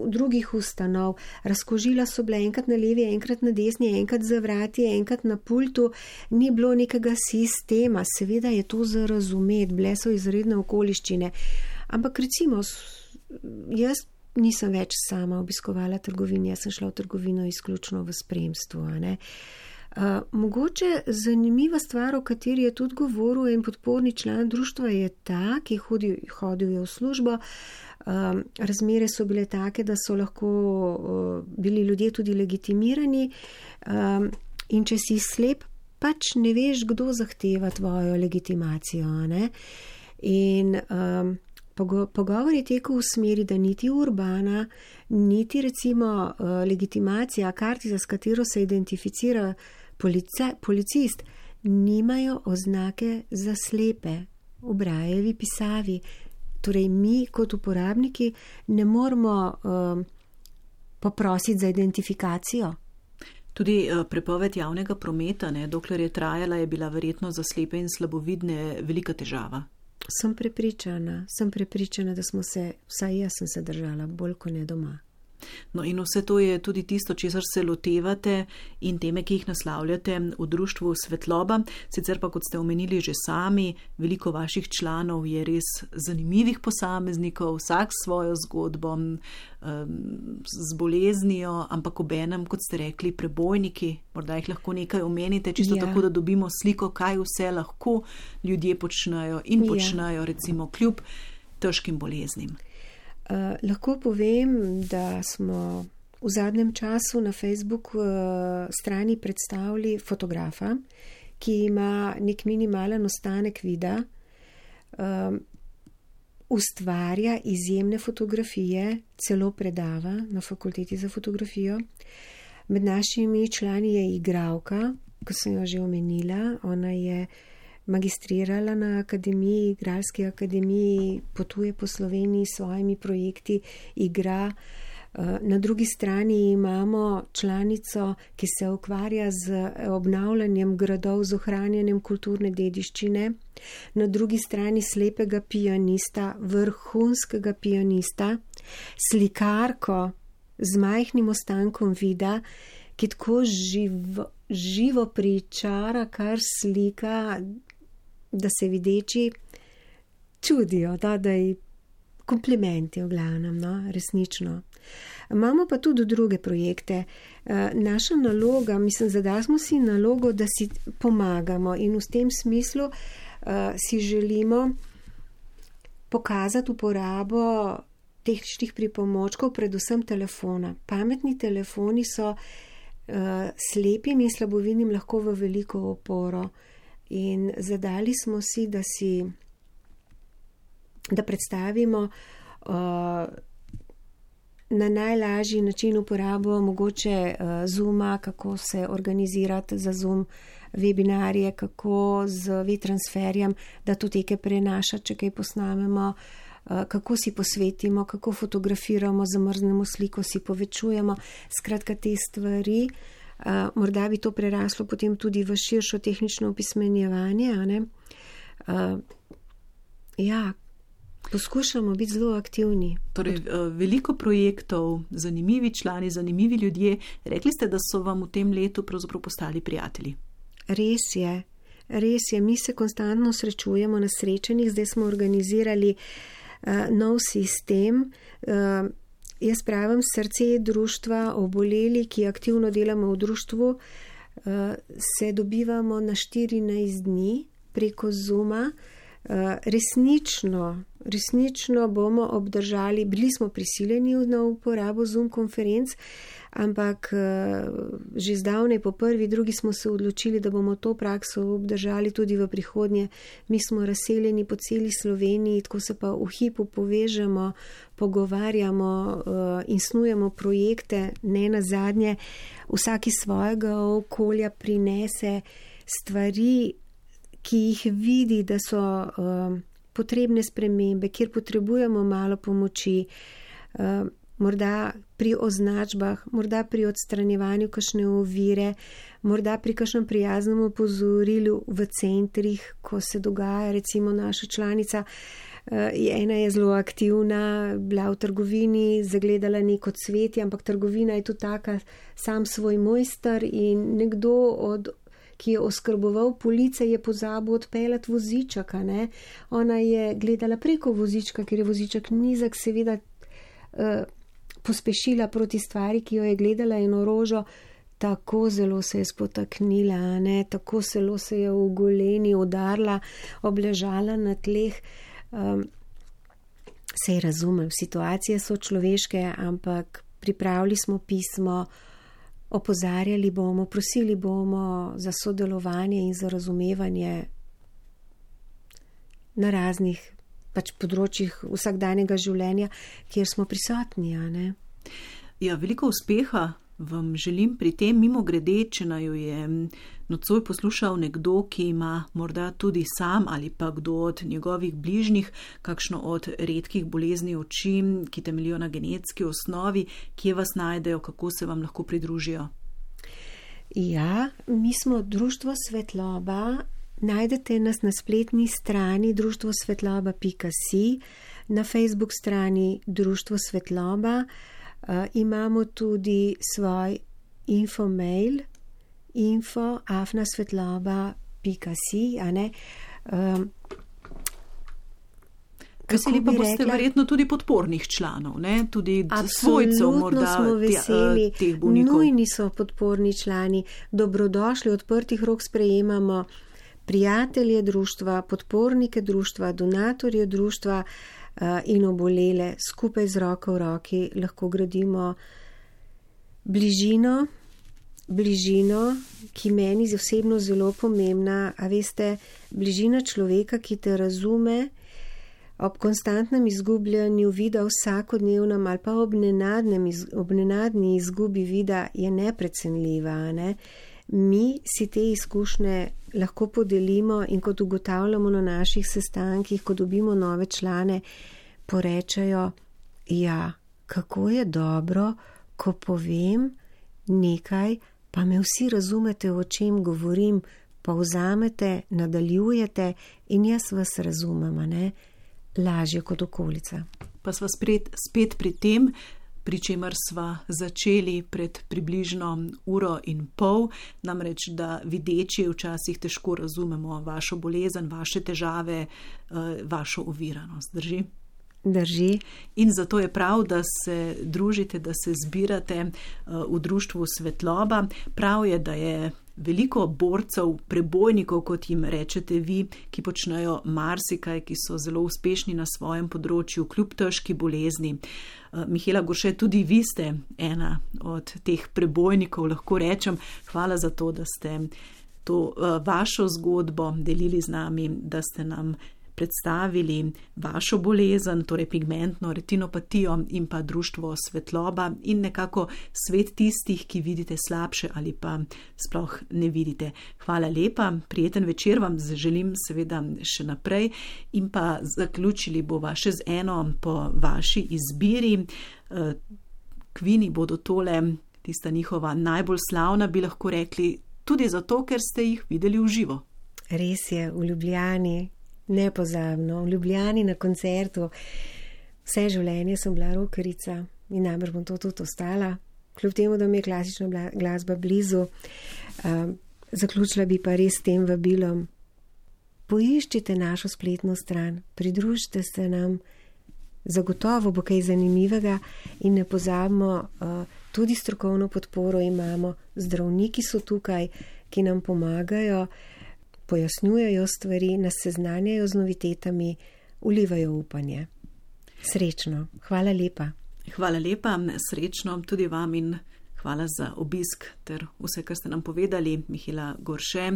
drugih ustanov. Razkožila so bile enkrat na levi, enkrat na desni, enkrat za vrati, enkrat na pultu. Ni bilo nekega sistema. Seveda je to za razumeti, bile so izredne okoliščine. Ampak recimo, jaz nisem več sama obiskovala trgovin, jaz sem šla v trgovino izključno v spremstvu. Mogoče zanimiva stvar, o kateri je tudi govoril en podporni član društva, je ta, ki hodil je v službo. Razmere so bile take, da so lahko bili ljudje tudi legitimirani, in če si slep, pač ne veš, kdo zahteva tvojo legitimacijo, ne? In pogovor je tekel v smeri, da niti Urbana, niti recimo legitimacija, kartica, s katero se identificira policist, nimajo oznake za slepe v Braillevi pisavi. Torej, mi kot uporabniki ne moramo poprositi za identifikacijo. Tudi prepoved javnega prometa, ne, dokler je trajala, je bila verjetno za slepe in slabovidne velika težava. Sem prepričana, da smo se, vsaj jaz sem se držala, bolj kot ne doma. No in vse to je tudi tisto, česar se lotevate in teme, ki jih naslavljate v društvu Svetloba. Sicer pa, kot ste omenili že sami, veliko vaših članov je res zanimivih posameznikov, vsak svojo zgodbo z boleznijo, ampak obenem, kot ste rekli, prebojniki. Morda jih lahko nekaj omenite, čisto tako, da dobimo sliko, kaj vse lahko ljudje počnejo in počnejo, recimo, kljub težkim boleznim. Lahko povem, da smo v zadnjem času na Facebook strani predstavili fotografa, ki ima nek minimalen ostanek videa, ustvarja izjemne fotografije, celo predava na fakulteti za fotografijo. Med našimi člani je igralka, ko sem jo že omenila, ona je magistrirala na akademiji, igralski akademiji, potuje po Sloveniji s svojimi projekti, igra. Na drugi strani imamo članico, ki se ukvarja z obnavljanjem gradov, z ohranjanjem kulturne dediščine. Na drugi strani slepega pianista, vrhunskega pianista, slikarko z majhnim ostankom vida, ki tako živo pričara, kar slika, da se videči čudijo, da ji komplimenti v glavnem, no, resnično. Imamo pa tudi druge projekte. Naša naloga, mislim, zadali smo si nalogo, da si pomagamo in v tem smislu si želimo pokazati uporabo tehničnih pripomočkov, predvsem telefona. Pametni telefoni so slepim in slabovidnim lahko v veliko oporo. In zadali smo si, da predstavimo na najlažji način uporabo mogoče Zooma, kako se organizirati za Zoom webinarje, kako z WeTransferjem, da datoteke prenašati, če kaj posnamemo, kako si posvetimo, kako fotografiramo, zamrznemo sliko, si povečujemo. Skratka, te stvari. Morda bi to preraslo potem tudi v širšo tehnično opismenjevanje. Poskušamo biti zelo aktivni. Torej, veliko projektov, zanimivi člani, zanimivi ljudje. Rekli ste, da so vam v tem letu pravzaprav postali prijatelji. Res je. Mi se konstantno srečujemo na srečanjih. Zdaj smo organizirali nov sistem. Jaz pravim, srce društva oboleli, ki aktivno delamo v društvu, se dobivamo na 14 dni preko Zooma. Resnično bomo obdržali, bili smo prisiljeni na uporabo Zoom konferenc, ampak že zdavnaj po prvi, drugi smo se odločili, da bomo to prakso obdržali tudi v prihodnje. Mi smo razseljeni po celi Sloveniji, tako se pa v hipu povežemo, pogovarjamo in snujemo projekte. Ne nazadnje, vsak iz svojega okolja prinese stvari, ki jih vidi, da so potrebne spremembe, kjer potrebujemo malo pomoči, morda pri označbah, morda pri odstranjevanju kakšne ovire, morda pri kakšnem prijaznem opozorilu v centrih, ko se dogaja, recimo naša članica, ena je zelo aktivna, bila v trgovini, zagledala neko cvetje, ampak trgovina je tudi taka, sam svoj mojster in nekdo ki je oskrboval police, je pozabil odpeljati vozičaka. Ne? Ona je gledala preko vozička, ker je vozičak nizak, seveda pospešila proti stvari, ki jo je gledala, eno rožo, tako zelo se je spotaknila, ne? Tako zelo se je v goleni udarila, obležala na tleh. Sej razumem, situacije so človeške, ampak pripravili smo pismo, opozarjali bomo, prosili bomo za sodelovanje in za razumevanje na raznih področjih vsakdanjega življenja, kjer smo prisotni, a ne? Ja, veliko uspeha vam želim pri tem. Mimogrede, če naju je nocoj poslušal nekdo, ki ima morda tudi sam ali pa kdo od njegovih bližnjih kakšno od redkih bolezni oči, ki temeljijo na genetski osnovi, kje vas najdejo, kako se vam lahko pridružijo? Ja, mi smo Društvo Svetloba. Najdete nas na spletni strani društvosvetloba.si, na Facebook strani Društvo Svetloba. Imamo tudi svoj infomail info@svetloba.si, a ne. Veseli pa boste verjetno tudi podpornih članov, ne? Tudi svojcev morda teh bolnikov. Nujni so podporni člani, dobrodošli, odprtih rok sprejemamo prijatelje društva, podpornike društva, donatorje društva in obolele. Skupaj z roko v roki lahko gradimo bližino, ki meni je osebno zelo pomembna. A veste, bližina človeka, ki te razume, ob konstantnem izgubljanju vida vsakodnevnem ali pa ob nenadni izgubi vida je neprecenljiva, ne? Mi si te izkušnje lahko podelimo in kot ugotavljamo na naših sestankih, ko dobimo nove člane, porečejo, ja, kako je dobro, ko povem nekaj, pa me vsi razumete, o čem govorim, povzamete, nadaljujete in jaz vas razumem, ne? Lažje kot okolica. Pa sva spet pri tem, pri čemer sva začeli pred približno 1,5 ure, namreč, da videči včasih težko razumemo vašo bolezen, vaše težave, vašo oviranost. Drži? Drži. In zato je prav, da se družite, da se zbirate v Društvu Svetloba. Prav je, da je veliko borcev, prebojnikov, kot jim rečete vi, ki počnejo marsikaj, ki so zelo uspešni na svojem področju, kljub težki bolezni. Mihaela Gorše, tudi vi ste ena od teh prebojnikov, lahko rečem. Hvala za to, da ste to vašo zgodbo delili z nami, da ste nam predstavili vašo bolezen, torej pigmentno retinopatijo in pa Društvo Svetloba in nekako svet tistih, ki vidite slabše ali pa sploh ne vidite. Hvala lepa, prijeten večer vam želim seveda še naprej in pa zaključili bova še z eno po vaši izbiri. Kvini bodo tole, tista njihova najbolj slavna, bi lahko rekli, tudi zato, ker ste jih videli v živo. Res je, v Ljubljani. Nepozabno, v Ljubljani na koncertu. Vse življenje sem bila rockerica in najbrž bom to tudi ostala. Kljub temu, da mi je klasična glasba blizu. Zaključila bi pa res s tem vabilom. Poiščite našo spletno stran, pridružite se nam, zagotovo bo kaj zanimivega in ne pozabimo, tudi strokovno podporo imamo, zdravniki so tukaj, ki nam pomagajo, pojasnjujejo stvari, nas seznanjajo z novitetami, vlivajo upanje. Srečno. Hvala lepa. Hvala lepa, srečno tudi vam in hvala za obisk ter vse, kar ste nam povedali, Mihaela Gorše,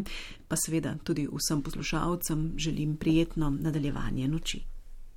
pa seveda tudi vsem poslušalcem želim prijetno nadaljevanje noči.